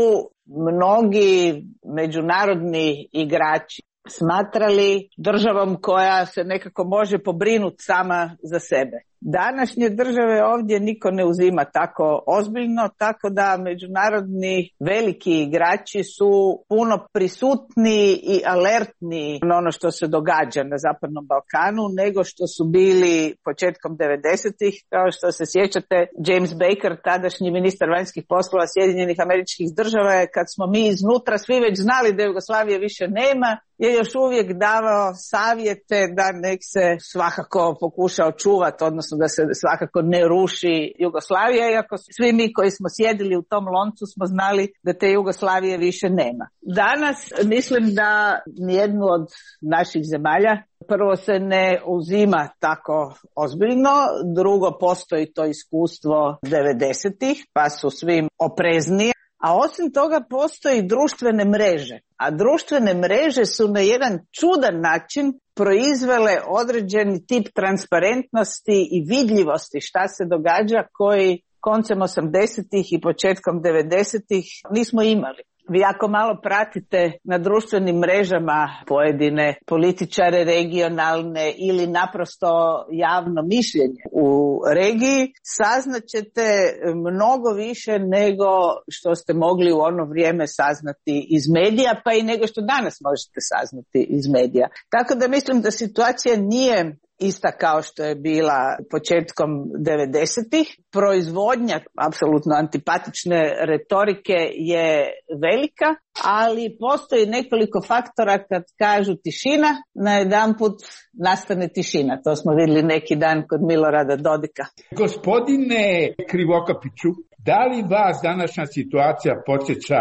mnogi međunarodni igrači smatrali državom koja se nekako može pobrinuti sama za sebe. Današnje države ovdje niko ne uzima tako ozbiljno, tako da međunarodni veliki igrači su puno prisutni i alertni na ono što se događa na Zapadnom Balkanu nego što su bili početkom devedesetih. Kao što se sjećate, James Baker, tadašnji ministar vanjskih poslova Sjedinjenih Američkih Država, je, kad smo mi iznutra svi već znali da Jugoslavije više nema, je još uvijek davao savjete da nek se svakako pokuša očuvati, odnosno da se svakako ne ruši Jugoslavija, iako svi mi koji smo sjedili u tom loncu smo znali da te Jugoslavije više nema. Danas mislim da nijednu od naših zemalja, prvo, se ne uzima tako ozbiljno, drugo, postoji to iskustvo devedesetih, pa su svim oprezniji. A osim toga postoji društvene mreže, a društvene mreže su na jedan čudan način proizvele određeni tip transparentnosti i vidljivosti šta se događa koji koncem osamdesetih i početkom devedesetih nismo imali. Vi ako malo pratite na društvenim mrežama pojedine političare regionalne ili naprosto javno mišljenje u regiji, saznaćete mnogo više nego što ste mogli u ono vrijeme saznati iz medija, pa i nego što danas možete saznati iz medija. Tako da mislim da situacija nije ista kao što je bila početkom devedesetih. Proizvodnja apsolutno antipatične retorike je velika, ali postoji nekoliko faktora kad kažu tišina, najedanput nastane tišina. To smo vidjeli neki dan kod Milorada Dodika. Gospodine Krivokapiću, da li vas današnja situacija podsjeća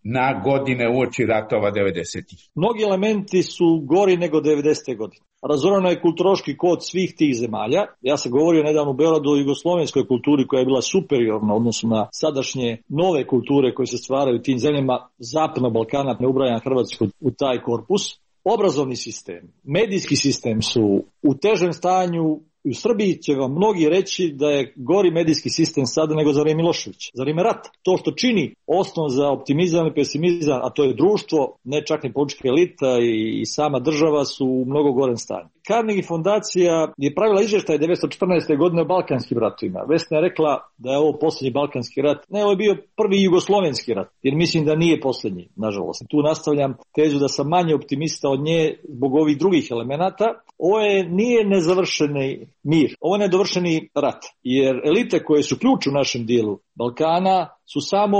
na godine uoči ratova devedesetih? Mnogi elementi su gori nego devedesete godine. Razorano je kulturološki kod svih tih zemalja. Ja sam govorio nedavno u Beogradu o jugoslovenskoj kulturi koja je bila superiorna u odnosu na sadašnje nove kulture koje se stvaraju u tim zemljama Zapadnog Balkana, ne ubrajam Hrvatsku u taj korpus. Obrazovni sistem, medijski sistem su u težem stanju. U Srbiji će vam mnogi reći da je gori medijski sistem sada nego za vrijeme Miloševića, za vrijeme rata. To što čini osnov za optimizam i pesimizam, a to je društvo, ne čak ni politička elita i, i sama država su u mnogo gorem stanju. Carnegie fondacija je pravila izvještaj devetsto četrnaeste. godine o Balkanskim ratovima. Vesna je rekla da je ovo posljednji Balkanski rat. Ne, ovo je bio prvi Jugoslovenski rat, jer mislim da nije posljednji, nažalost. Tu nastavljam tezu da sam manje optimista od nje zbog ovih drugih elemenata. Ovo je, nije nezavršeni mir, ovo je nedovršeni rat, jer elite koje su ključ u našem dijelu Balkana su samo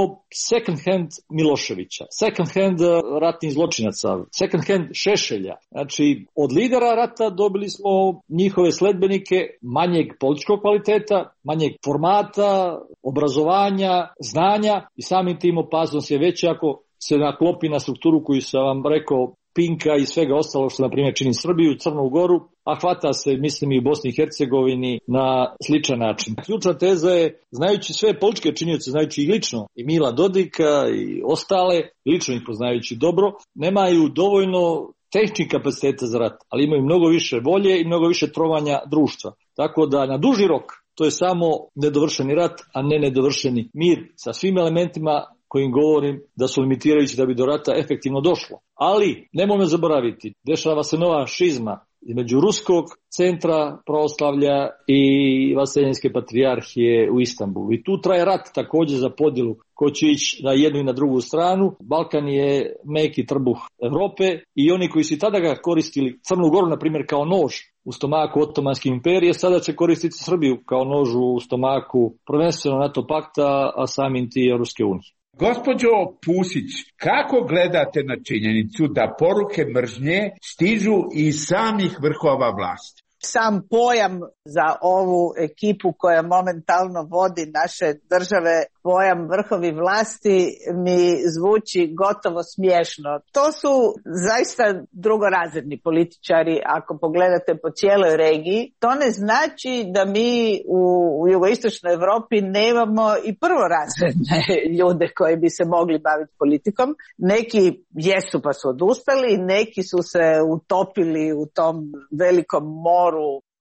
second hand Miloševića, second hand ratnih zločinaca, second hand Šešelja. Znači, od lidera rata dobili smo njihove sledbenike manjeg političkog kvaliteta, manjeg formata, obrazovanja, znanja i samim tim opasnost je veća ako se naklopi na strukturu koju sam vam rekao, Pinka i svega ostalo što na primjer čini Srbiju, Crnu Goru, a hvata se, mislim, i u Bosni i Hercegovini na sličan način. Ključna teza je, znajući sve političke činioce, znajući ih lično, i Mila Dodika i ostale, lično ih poznajući dobro, nemaju dovoljno tehničkih kapaciteta za rat, ali imaju mnogo više volje i mnogo više trovanja društva. Tako da na duži rok to je samo nedovršeni rat, a ne nedovršeni mir sa svim elementima kojim govorim da su limitirajući da bi do rata efektivno došlo. Ali, nemojmo zaboraviti, dešava se nova šizma između ruskog centra pravoslavlja i Vaseljenske patrijarhije u Istanbulu. I tu traje rat također za podjelu ko će ići na jednu i na drugu stranu. Balkan je meki trbuh Europe i oni koji su tada ga koristili, Crnu Goru na primjer kao nož u stomaku Otomanske imperije, sada će koristiti Srbiju kao nož u stomaku prvenstveno NATO pakta, a samim ti Europske unije. Gospođo Pusić, kako gledate na činjenicu da poruke mržnje stižu iz samih vrhova vlasti? Sam pojam za ovu ekipu koja momentalno vodi naše države, pojam vrhovi vlasti, mi zvuči gotovo smiješno. To su zaista drugorazredni političari ako pogledate po cijeloj regiji. To ne znači da mi u, u jugoistočnoj Europi nemamo i prvorazredne ljude koji bi se mogli baviti politikom. Neki jesu pa su odustali, neki su se utopili u tom velikom moru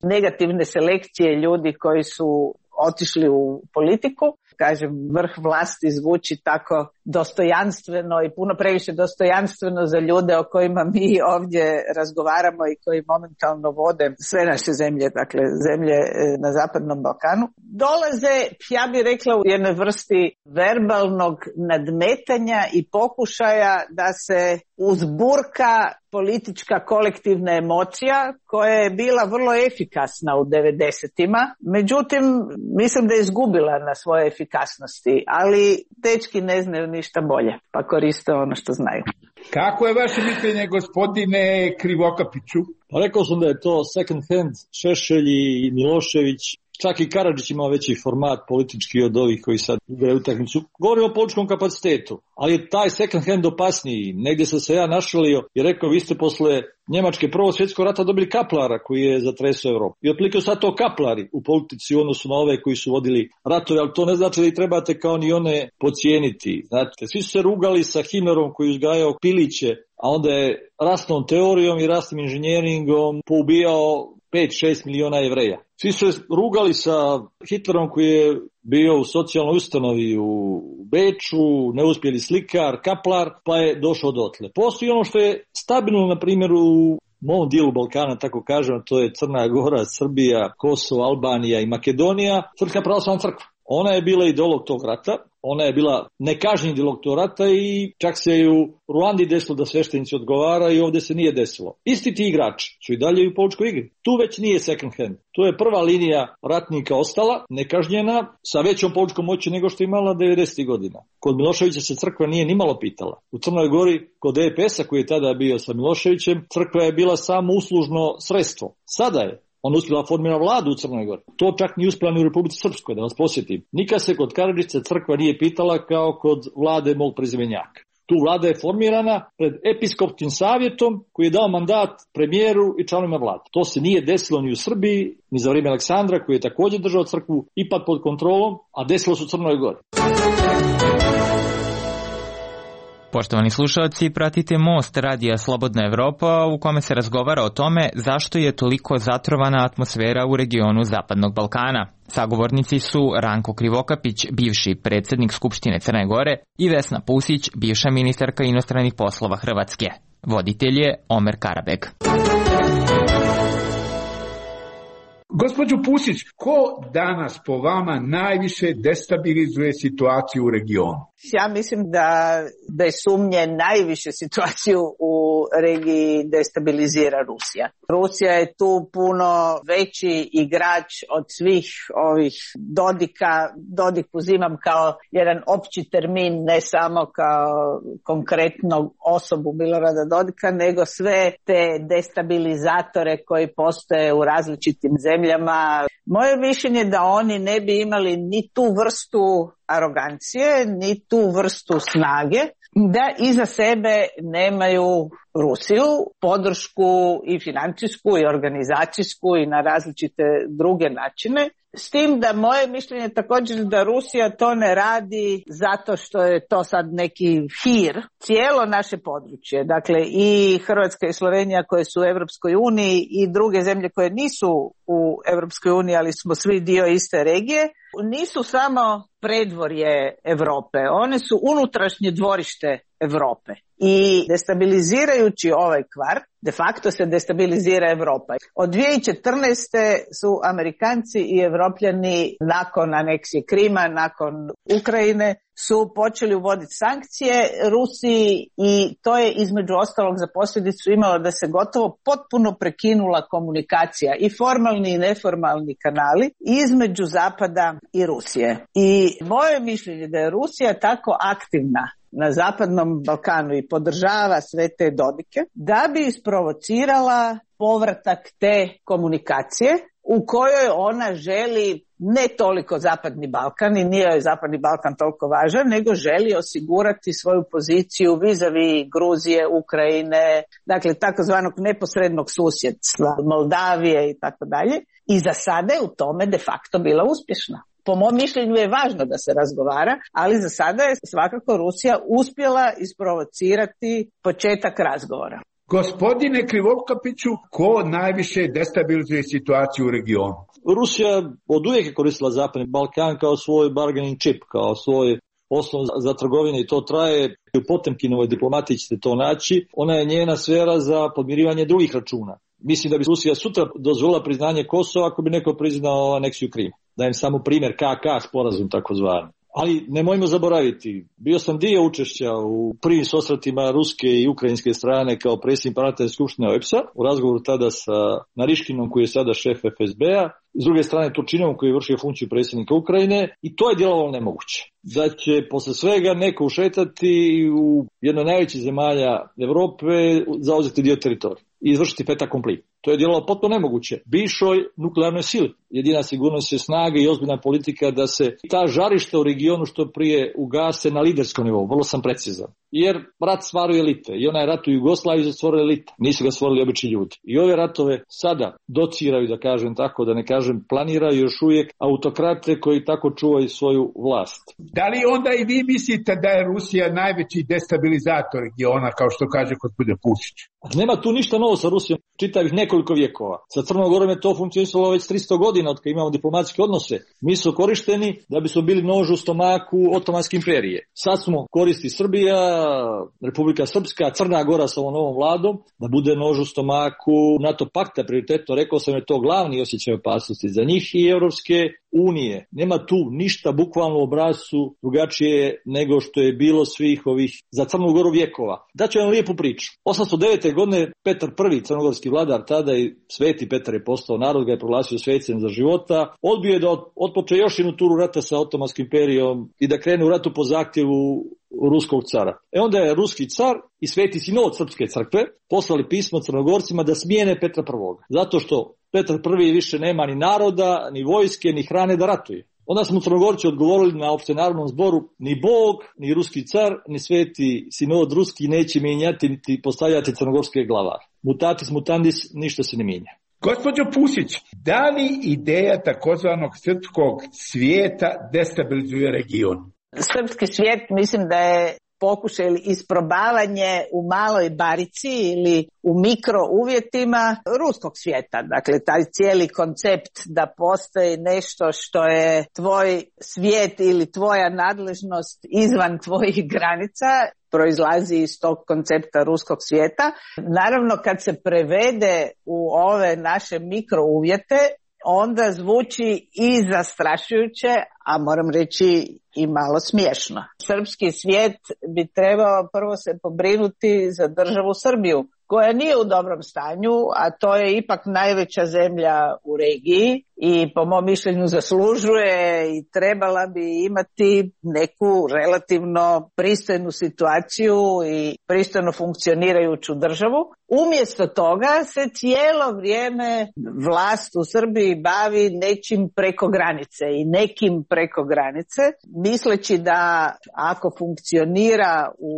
negativne selekcije ljudi koji su otišli u politiku. Kažem, vrh vlasti zvuči tako dostojanstveno i puno previše dostojanstveno za ljude o kojima mi ovdje razgovaramo i koji momentalno vode sve naše zemlje, dakle zemlje na Zapadnom Balkanu. Dolaze, ja bih rekla, u jednoj vrsti verbalnog nadmetanja i pokušaja da se uzburka politička kolektivna emocija koja je bila vrlo efikasna u devedesetima. Međutim, mislim da je izgubila na svoje efikasnosti, ali dečki ne znaju ništa bolje, pa koriste ono što znaju. Kako je vaše mišljenje, gospodine Krivokapiću? Pa rekao sam da je to second hand Šešelj i Milošević. Čak i Karadžić ima veći format politički od ovih koji sad igraju utakmicu. Govorimo o političkom kapacitetu, ali je taj second hand opasniji. Negdje sam se ja našalio i rekao, vi ste posle Njemačke prvog svjetskog rata dobili kaplara koji je zatresao Europu. I otprilike sad to kaplari u politici u odnosu na ove koji su vodili ratove, ali to ne znači da ih trebate kao ni one podcijeniti. Znate, svi su se rugali sa Himerom koji uzgajao piliće, a onda je rasnom teorijom i rasnim inženjeringom poubijao pet šest miliona Jevreja. Svi su rugali sa Hitlerom koji je bio u socijalnoj ustanovi u Beču, neuspjeli slikar, kaplar, pa je došao dotle. Postoji ono što je stabilno, na primjer, u mom dijelu Balkana, tako kažem, to je Crna Gora, Srbija, Kosovo, Albanija i Makedonija, Srpska pravoslavna crkva. Ona je bila ideolog tog rata, ona je bila nekažnjen ideolog tog rata i čak se i u Ruandi desilo da sveštenici odgovara i ovdje se nije desilo. Isti ti igrači su i dalje u političkoj igri. Tu već nije second hand. Tu je prva linija ratnika ostala, nekažnjena, sa većom političkom moći nego što je imala devedesetih godina. Kod Miloševića se crkva nije nimalo pitala. U Crnoj Gori, kod E P S-a koji je tada bio sa Miloševićem, crkva je bila samo uslužno sredstvo. Sada je on uspjela formira vladu u Crnoj Gori. To čak nije uspjela ni u Republici Srpskoj, da vas posjetim. Nikad se kod Karadžića crkva nije pitala kao kod vlade mog prezimenjaka. Tu vlada je formirana pred episkopskim savjetom koji je dao mandat premijeru i članovima vlade. To se nije desilo ni u Srbiji, ni za vrijeme Aleksandra koji je također držao crkvu ipak pod kontrolom, a desilo se u Crnoj Gori. Poštovani slušalci, pratite Most radija Slobodna Evropa u kome se razgovara o tome zašto je toliko zatrovana atmosfera u regionu Zapadnog Balkana. Sagovornici su Ranko Krivokapić, bivši predsjednik Skupštine Crne Gore, i Vesna Pusić, bivša ministarka inostranih poslova Hrvatske. Voditelj je Omer Karabeg. Gospođo Pusić, ko danas po vama najviše destabilizuje situaciju u regionu? Ja mislim da bez sumnje najviše situaciju u regiji destabilizira Rusija. Rusija je tu puno veći igrač od svih ovih Dodika. Dodik uzimam kao jedan opći termin, ne samo kao konkretnog osobu Milorada Dodika, nego sve te destabilizatore koji postoje u različitim zemljama. Moje mišljenje je da oni ne bi imali ni tu vrstu arogancije, ni tu vrstu snage, da iza sebe nemaju Rusiju, podršku i financijsku i organizacijsku i na različite druge načine. S tim da moje mišljenje je također da Rusija to ne radi zato što je to sad neki hir. Cijelo naše područje, dakle i Hrvatska i Slovenija koje su u Europskoj uniji i druge zemlje koje nisu u Europskoj uniji, ali smo svi dio iste regije, nisu samo predvorje Europe, one su unutrašnje dvorište Europe. I destabilizirajući ovaj kvart, de facto se destabilizira Europa. Od dvije tisuće četrnaeste su Amerikanci i Evropljani nakon aneksije Krima, nakon Ukrajine, su počeli uvoditi sankcije Rusiji i to je između ostalog za posljedicu imalo da se gotovo potpuno prekinula komunikacija i formalni i neformalni kanali između Zapada i Rusije. I moje mišljenje da je Rusija tako aktivna na Zapadnom Balkanu i podržava sve te Dodike, da bi isprovocirala povratak te komunikacije u kojoj ona želi ne toliko Zapadni Balkan i nije joj Zapadni Balkan toliko važan, nego želi osigurati svoju poziciju vis-a-vis Gruzije, Ukrajine, dakle takozvanog neposrednog susjedstva, Moldavije i tako dalje. I za sada je u tome de facto bila uspješna. Po mom mišljenju je važno da se razgovara, ali za sada je svakako Rusija uspjela isprovocirati početak razgovora. Gospodine Krivokapiću, ko najviše destabilizuje situaciju u regionu? Rusija od uvijek je koristila Zapadni Balkan kao svoj bargaining chip, kao svoj osnov za trgovine i to traje. U Potemkinovoj diplomatiji ćete to naći. Ona je njena sfera za podmirivanje drugih računa. Mislim da bi Rusija sutra dozvolila priznanje Kosova ako bi neko priznao aneksiju Krima. Dajem samo primjer K K sporazum takozvani. Ali nemojmo zaboraviti, bio sam dio učešća u prvim susretima ruske i ukrajinske strane kao predsjednik parlamentarne skupštine O E B S-a, u razgovoru tada sa Nariškinom koji je sada šef F S B-a, s druge strane Turčinom koji je vršio funkciju predsjednika Ukrajine i to je djelovalo nemoguće. Da će posle svega neko ušetati u jednoj najvećih zemalja Europe zauzeti dio teritorija i izvršiti fait accompli. To je djelovalo potpuno nemoguće. Bivšoj nuklearnoj sili. Jedina sigurnost je snaga i ozbiljna politika da se ta žarišta u regionu što prije ugase na liderskom nivou. Vrlo sam precizan. Jer rat stvaruje elite. I onaj rat u Jugoslaviji je stvorio elite. Nisu ga stvorili obični ljudi. I ove ratove sada dociraju, da kažem tako, da ne kažem planiraju još uvijek autokrate koji tako čuvaju svoju vlast. Da li onda i vi mislite da je Rusija najveći destabilizator regiona, kao što kaže gospodin Pusić? Nema tu ništa novo sa Rusijom. Čitavih nekoliko vjekova. Sa Crnom Gorom je to funkcionisalo već tristo godina. godina od kad imamo diplomatske odnose, mi su korišteni da bi smo bili nož u stomaku Otomanske imperije. Sad smo koristi Srbija, Republika Srpska, Crna Gora sa ovom novom vladom, da bude nož u stomaku NATO pakta, prioritetno rekao sam je to glavni osjećaj opasnosti za njih i Europske unije. Nema tu ništa bukvalno u obrazcu drugačije nego što je bilo svih ovih za Crnu Goru vjekova. Daću vam lijepu priču. osamsto devete. godine Petar I, crnogorski vladar tada i sveti Petar je postao, narod ga je proglasio svećem za života, odbio je da otpoče još jednu turu rata sa Otomanskom imperijom i da krene u ratu po zahtjevu ruskog cara. E onda je ruski car i sveti sinod Srpske crkve poslali pismo Crnogorcima da smijene Petra I. Zato što Petar I više nema ni naroda, ni vojske, ni hrane da ratuje. Onda smo Crnogorci odgovorili na opštenarodnom zboru, ni Bog, ni ruski car, ni sveti sinod ruski neće mijenjati niti postavljati crnogorske glavare. Mutatis mutandis, ništa se ne mijenja. Gospođo Pusić, da li ideja takozvanog srpskog svijeta destabilizuje region? Srpski svijet mislim da je pokušaj ili isprobavanje u maloj barici ili u mikro uvjetima ruskog svijeta. Dakle, taj cijeli koncept da postoji nešto što je tvoj svijet ili tvoja nadležnost izvan tvojih granica proizlazi iz tog koncepta ruskog svijeta. Naravno, kad se prevede u ove naše mikro uvjete, onda zvuči i zastrašujuće, a moram reći i malo smiješno. Srpski svijet bi trebao prvo se pobrinuti za državu Srbiju, koja nije u dobrom stanju, a to je ipak najveća zemlja u regiji i po mom mišljenju zaslužuje i trebala bi imati neku relativno pristojnu situaciju i pristojno funkcionirajuću državu. Umjesto toga se cijelo vrijeme vlast u Srbiji bavi nečim preko granice i nekim preko granice, misleći da ako funkcionira u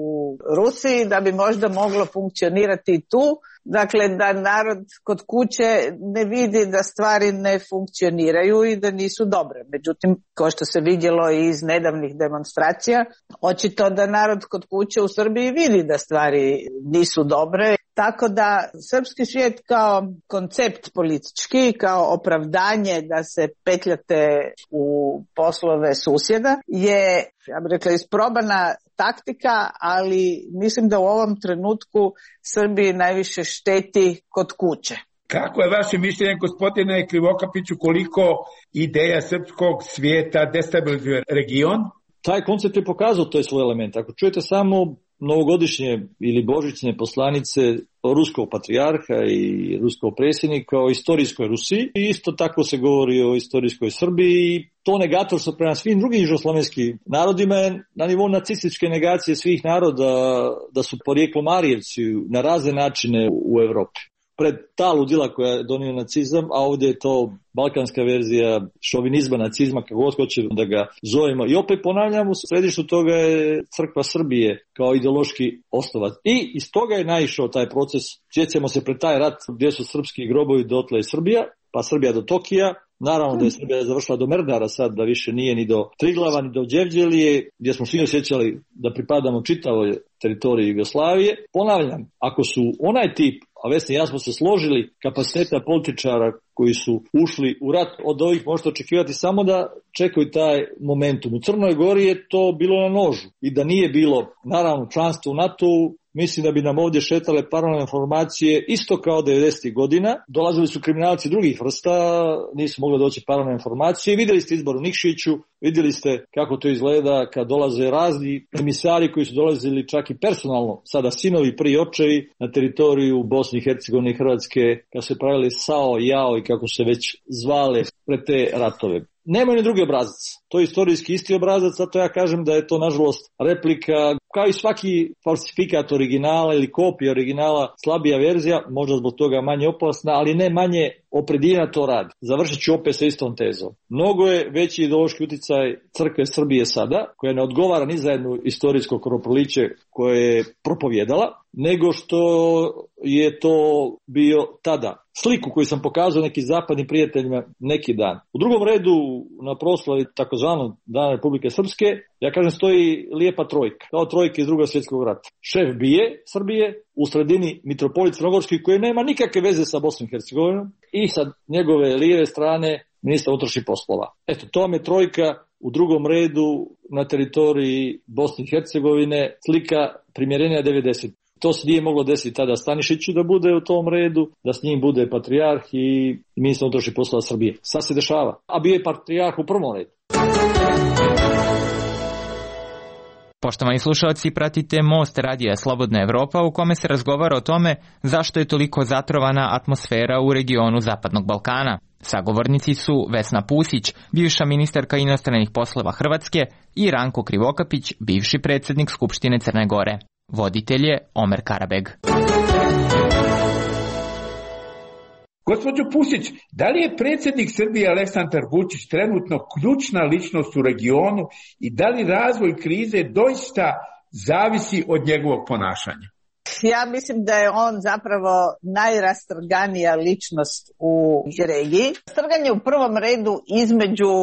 Rusiji, da bi možda moglo funkcionirati i tu. Dakle, da narod kod kuće ne vidi da stvari ne funkcioniraju i da nisu dobre. Međutim, kao što se vidjelo iz nedavnih demonstracija, očito da narod kod kuće u Srbiji vidi da stvari nisu dobre. Tako da srpski svijet kao koncept politički, kao opravdanje da se petljate u poslove susjeda je, ja bih rekla, isprobana taktika, ali mislim da u ovom trenutku Srbiji najviše šteti kod kuće. Kako je vaše mišljenje, gospodine Krivokapiću, koliko ideja srpskog svijeta destabilizuje region? Taj koncept je pokazao to je svoj element. Ako čujete samo novogodišnje ili božićne poslanice ruskog patrijarha i ruskog predsjednika o istorijskoj Rusiji, i isto tako se govori o istorijskoj Srbiji, i to negatorstvo prema svim drugim južnoslovenskim narodima je na nivou nacističke negacije svih naroda da su porijeklom Arijevci na razne načine u Evropi. Pred ta ludila koja je donio nacizam, a ovdje je to balkanska verzija šovinizma, nacizma, kako god hoćemo da ga zovemo. I opet ponavljam, u središtu toga je crkva Srbije kao ideološki osnovac. I iz toga je naišao taj proces. Sjećamo se pred taj rat gdje su srpski grobovi, dotle je Srbija, pa Srbija do Tokija. Naravno da je Srbija završila do Merdara sad, da više nije ni do Triglava, ni do Đevđelije, gdje smo svi osjećali da pripadamo čitavoj teritoriji Jugoslavije. Ponavljam, ako su onaj tip, a Vesni i ja smo se složili, kapaciteta političara koji su ušli u rat, od ovih možete očekivati samo da čekaju taj momentum. U Crnoj Gori je to bilo na nožu i da nije bilo, naravno, članstvo u NATO-u, mislim da bi nam ovdje šetale paralelne informacije isto kao devedesetih godina. Dolazili su kriminalci drugih vrsta, nisu mogli doći paralelne informacije. Vidjeli ste izbor u Nikšiću, vidjeli ste kako to izgleda kad dolaze razni emisari koji su dolazili čak i personalno, sada sinovi, prije očevi, na teritoriju Bosne i Hercegovine i Hrvatske, kad su pravili S A O, Jao i kako se već zvale pred te ratove. Nemaju ni drugi obrazac. To je istorijski isti obrazac, zato ja kažem da je to nažalost replika, kao i svaki falsifikat originala ili kopija originala, slabija verzija, možda zbog toga manje opasna, ali ne manje opredijena to radi. Završit ću opet sa istom tezom. Mnogo je veći ideološki utjecaj crkve Srbije sada, koja ne odgovara ni za jednu istorijsko kropoliće koje je propovjedala, nego što je to bio tada. Sliku koju sam pokazao nekim zapadnim prijateljima neki dan. U drugom redu na proslavi takozvanog Dana Republike Srpske, ja kažem, stoji lijepa trojka, kao trojka iz Drugog svjetskog rata. Šef bije Srbije, u sredini mitropolit Crnogorski koji nema nikakve veze sa Bosnom i Hercegovinom, i sa njegove lijeve strane ministar unutrašnjih poslova. Eto, to vam je trojka u drugom redu na teritoriji Bosne i Hercegovine, slika primjerenja devedeset. To se nije moglo desiti tada Stanišiću da bude u tom redu, da s njim bude patrijarh i ministar unutrašnjih poslova Srbije. Sad se dešava. A bio je patrijarh u prvom redu. Poštovani slušalci, pratite Most radija Slobodna Evropa u kome se razgovara o tome zašto je toliko zatrovana atmosfera u regionu Zapadnog Balkana. Sagovornici su Vesna Pusić, bivša ministarka inostranih poslova Hrvatske, i Ranko Krivokapić, bivši predsjednik Skupštine Crne Gore. Voditelj je Omer Karabeg. Gospođo Pusić, da li je predsjednik Srbije Aleksandar Vučić trenutno ključna ličnost u regionu i da li razvoj krize doista zavisi od njegovog ponašanja? Ja mislim da je on zapravo najrastrganija ličnost u regiji. Strganje u prvom redu između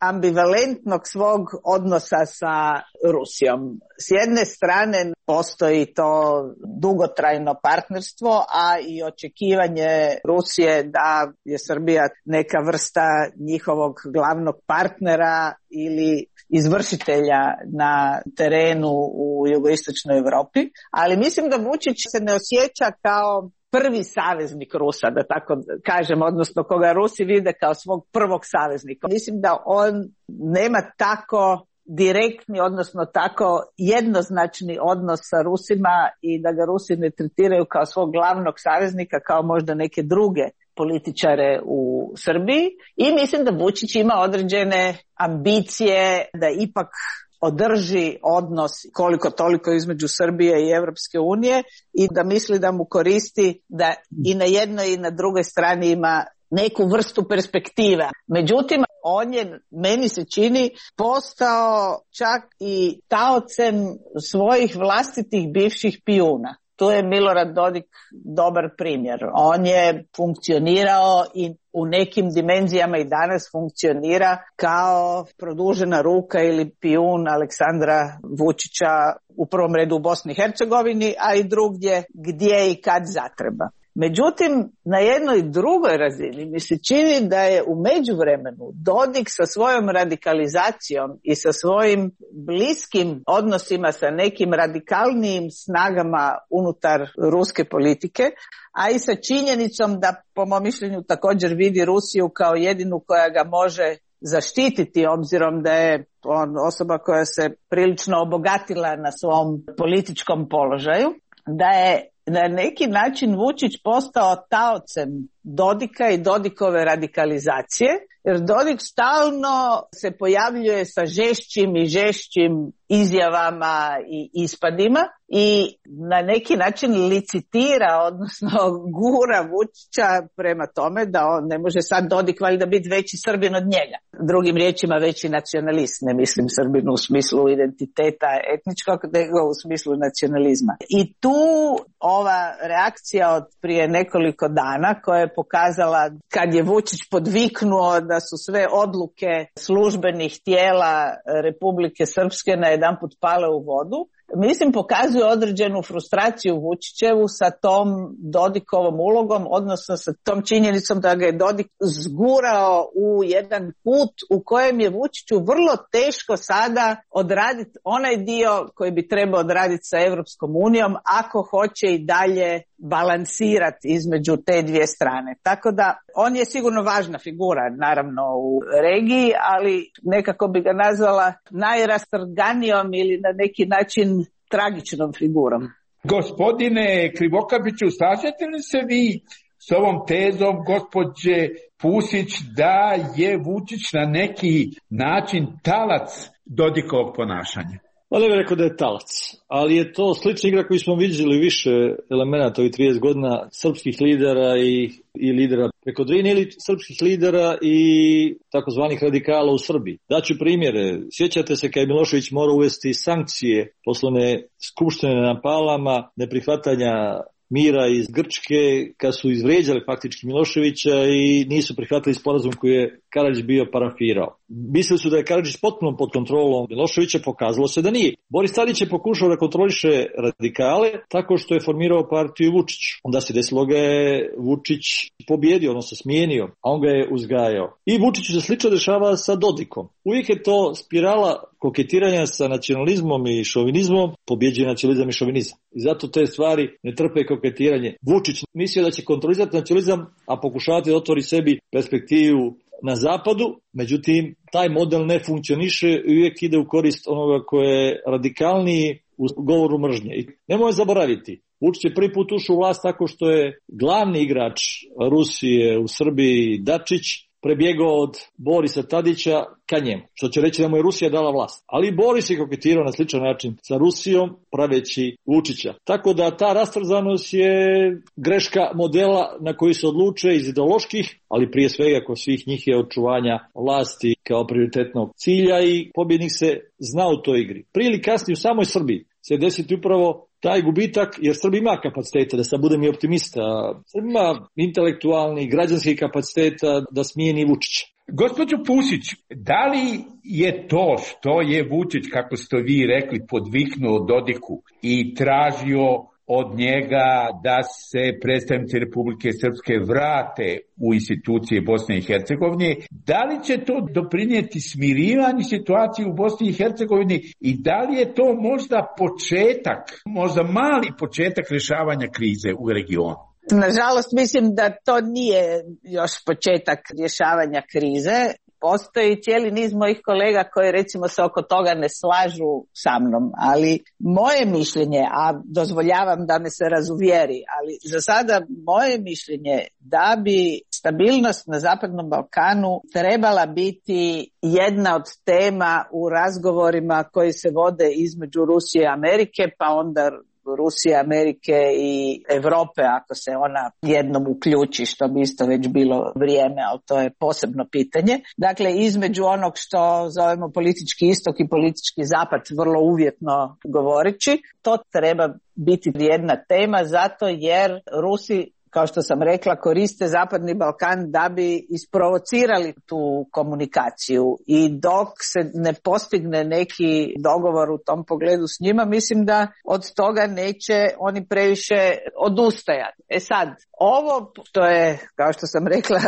ambivalentnog svog odnosa sa Rusijom. S jedne strane postoji to dugotrajno partnerstvo, a i očekivanje Rusije da je Srbija neka vrsta njihovog glavnog partnera ili izvršitelja na terenu u jugoistočnoj Europi. Ali mislim da Vučić se ne osjeća kao prvi saveznik Rusa, da tako kažem, odnosno koga Rusi vide kao svog prvog saveznika. Mislim da on nema tako direktni, odnosno tako jednoznačni odnos sa Rusima i da ga Rusi ne tretiraju kao svog glavnog saveznika, kao možda neke druge političare u Srbiji. I mislim da Vučić ima određene ambicije da ipak održi odnos koliko toliko između Srbije i Europske unije i da misli da mu koristi da i na jednoj i na drugoj strani ima neku vrstu perspektive. Međutim, on je, meni se čini, postao čak i taocem svojih vlastitih bivših pijuna. Tu je Milorad Dodik dobar primjer. On je funkcionirao i u nekim dimenzijama i danas funkcionira kao produžena ruka ili pijun Aleksandra Vučića u prvom redu u Bosni i Hercegovini, a i drugdje gdje i kad zatreba. Međutim, na jednoj drugoj razini mi se čini da je u međuvremenu Dodik sa svojom radikalizacijom i sa svojim bliskim odnosima sa nekim radikalnijim snagama unutar ruske politike, a i sa činjenicom da po mom mišljenju također vidi Rusiju kao jedinu koja ga može zaštititi, obzirom da je on osoba koja se prilično obogatila na svom političkom položaju, da je na neki način Vučić postao taocem Dodika i Dodikove radikalizacije, jer Dodik stalno se pojavljuje sa žešćim i žešćim izjavama i ispadima i na neki način licitira, odnosno gura Vučića prema tome da on ne može sad Dodik valjda biti veći Srbin od njega. Drugim riječima veći nacionalist, ne mislim Srbin u smislu identiteta etničkog, nego u smislu nacionalizma. I tu ova reakcija od prije nekoliko dana koja je pokazala kad je Vučić podviknuo da su sve odluke službenih tijela Republike Srpske na jedanput pale u vodu, mislim pokazuje određenu frustraciju Vučićevu sa tom Dodikovom ulogom, odnosno sa tom činjenicom da ga je Dodik zgurao u jedan put u kojem je Vučiću vrlo teško sada odraditi onaj dio koji bi trebao odraditi sa Europskom unijom ako hoće i dalje balansirati između te dvije strane. Tako da on je sigurno važna figura naravno u regiji, ali nekako bi ga nazvala najrastrganijom ili na neki način tragičnom figurom. Gospodine Krivokapiću, slažete li se vi s ovom tezom gospođe Pusić da je Vučić na neki način talac Dodikovog ponašanja? Pa ne bih rekao da je talac, ali je to slična igra koju smo vidjeli više elemenata ovih trideset godina srpskih lidera i, i lidera preko Drine ili srpskih lidera i takozvanih radikala u Srbiji. Daću primjere. Sjećate se kad je Milošević morao uvesti sankcije poslovne skupštine na Palama, neprihvatanja mira iz Grčke, kad su izvrijeđali faktički Miloševića i nisu prihvatili sporazum koji je Karadžić bio parafirao. Mislili su da je Karadžić potpuno pod kontrolom Miloševića, pokazalo se da nije. Boris Tadić je pokušao da kontroliše radikale tako što je formirao partiju Vučić. Onda se desilo ga je Vučić pobjedio, odnosno smijenio, a on ga je uzgajao. I Vučiću se slično dešava sa Dodikom. Uvijek je to spirala koketiranja sa nacionalizmom i šovinizmom, pobjeđuje nacionalizam i šovinizam. I zato te stvari ne trpe koketiranje. Vučić mislio da će kontrolizati nacionalizam, a pokušavati da otvori sebi perspektivu na zapadu, međutim, taj model ne funkcioniše i uvijek ide u korist onoga koje je radikalniji u govoru mržnje. I nemoj zaboraviti, Vučić je prvi put ušao u vlast tako što je glavni igrač Rusije u Srbiji, Dačić, prebjegao od Borisa Tadića ka njemu, što će reći da mu je Rusija dala vlast. Ali Boris je koketirao na sličan način sa Rusijom, praveći Vučića. Tako da ta rastrozanost je greška modela na koji se odluče iz ideoloških, ali prije svega kod svih njih je očuvanja vlasti kao prioritetnog cilja i pobjednik se zna u toj igri. Prije ili kasnije u samoj Srbiji se desiti upravo taj gubitak, jer Srbija ima kapaciteta, da sad budem i optimista, Srbija ima intelektualni, građanski kapaciteta da smijeni Vučića. Gospođo Pusić, da li je to što je Vučić, kako ste vi rekli, podviknuo Dodiku i tražio od njega da se predstavnici Republike Srpske vrate u institucije Bosne i Hercegovine, da li će to doprinijeti smirivanju situacije u Bosni i Hercegovini i da li je to možda početak, možda mali početak rješavanja krize u regionu? Nažalost, mislim da to nije još početak rješavanja krize. Postoji cijeli niz mojih kolega koji recimo se oko toga ne slažu sa mnom, ali moje mišljenje, a dozvoljavam da me se razuvjeri, ali za sada moje mišljenje da bi stabilnost na Zapadnom Balkanu trebala biti jedna od tema u razgovorima koji se vode između Rusije i Amerike, pa onda Rusije, Amerike i Europe ako se ona jednom uključi, što bi isto već bilo vrijeme, ali to je posebno pitanje. Dakle, između onog što zovemo politički istok i politički zapad, vrlo uvjetno govoreći, to treba biti jedna tema zato jer Rusi, kao što sam rekla, koriste Zapadni Balkan da bi isprovocirali tu komunikaciju i dok se ne postigne neki dogovor u tom pogledu s njima, mislim da od toga neće oni previše odustajati. E sad, ovo što je, kao što sam rekla,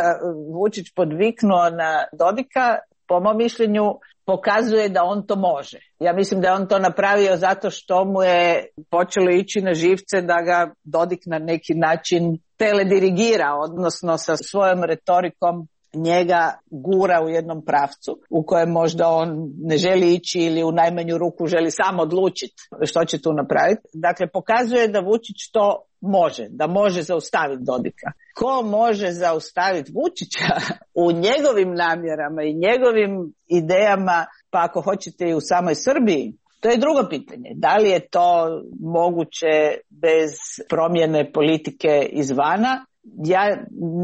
Vučić podviknuo na Dodika, po mom mišljenju pokazuje da on to može. Ja mislim da je on to napravio zato što mu je počelo ići na živce da ga Dodik na neki način teledirigira, odnosno sa svojom retorikom njega gura u jednom pravcu u kojem možda on ne želi ići ili u najmanju ruku želi sam odlučiti što će tu napraviti. Dakle, pokazuje da Vučić to može, da može zaustaviti Dodika. Ko može zaustaviti Vučića u njegovim namjerama i njegovim idejama, pa ako hoćete i u samoj Srbiji, to je drugo pitanje. Da li je to moguće bez promjene politike izvana? Ja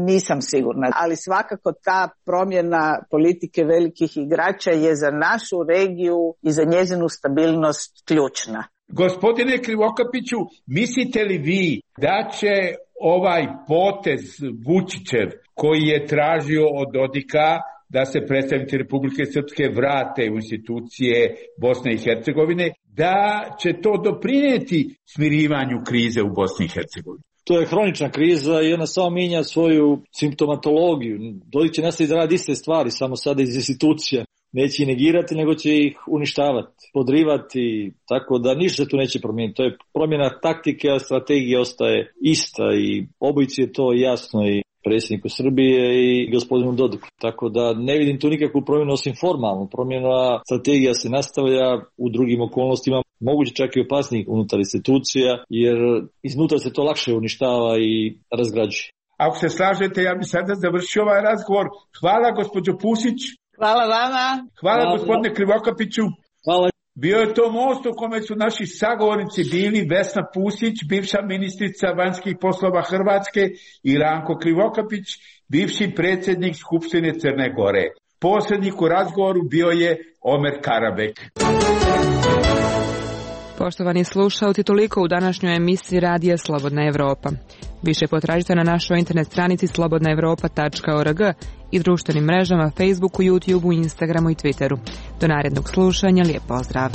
nisam sigurna, ali svakako ta promjena politike velikih igrača je za našu regiju i za njezinu stabilnost ključna. Gospodine Krivokapiću, mislite li vi da će ovaj potez Vučićev koji je tražio od Dodika da se predstavnici Republike Srpske vrate u institucije Bosne i Hercegovine, da će to doprinijeti smirivanju krize u Bosni i Hercegovini? To je hronična kriza i ona samo mijenja svoju simptomatologiju. Dodik će nastaviti raditi iste stvari, samo sada iz institucija. Neće ih negirati, nego će ih uništavati, podrivati, tako da ništa se tu neće promijeniti. To je promjena taktike, a strategija ostaje ista i obojici je to jasno i predsjedniku Srbije i gospodinu Dodiku. Tako da ne vidim tu nikakvu promjenu osim formalnu. Promjena strategija se nastavlja u drugim okolnostima, moguće čak i opasnijih unutar institucija, jer iznutra se to lakše uništava i razgrađuje. Ako se slažete, ja bih sada završio ovaj razgovor. Hvala gospođo Pusić. Hvala vama. Hvala, Hvala gospodine Krivokapiću. Hvala. Bio je to most u kome su naši sagovornici bili Vesna Pusić, bivša ministrica vanjskih poslova Hrvatske, i Ranko Krivokapić, bivši predsjednik Skupštine Crne Gore. Posrednik u razgovoru bio je Omer Karabek. Poštovani slušalci, toliko u današnjoj emisiji Radija Slobodna Evropa. Više potražite na našoj internet stranici slobodna evropa tačka org i društvenim mrežama Facebooku, YouTubeu, Instagramu i Twitteru. Do narednog slušanja, lijep pozdrav!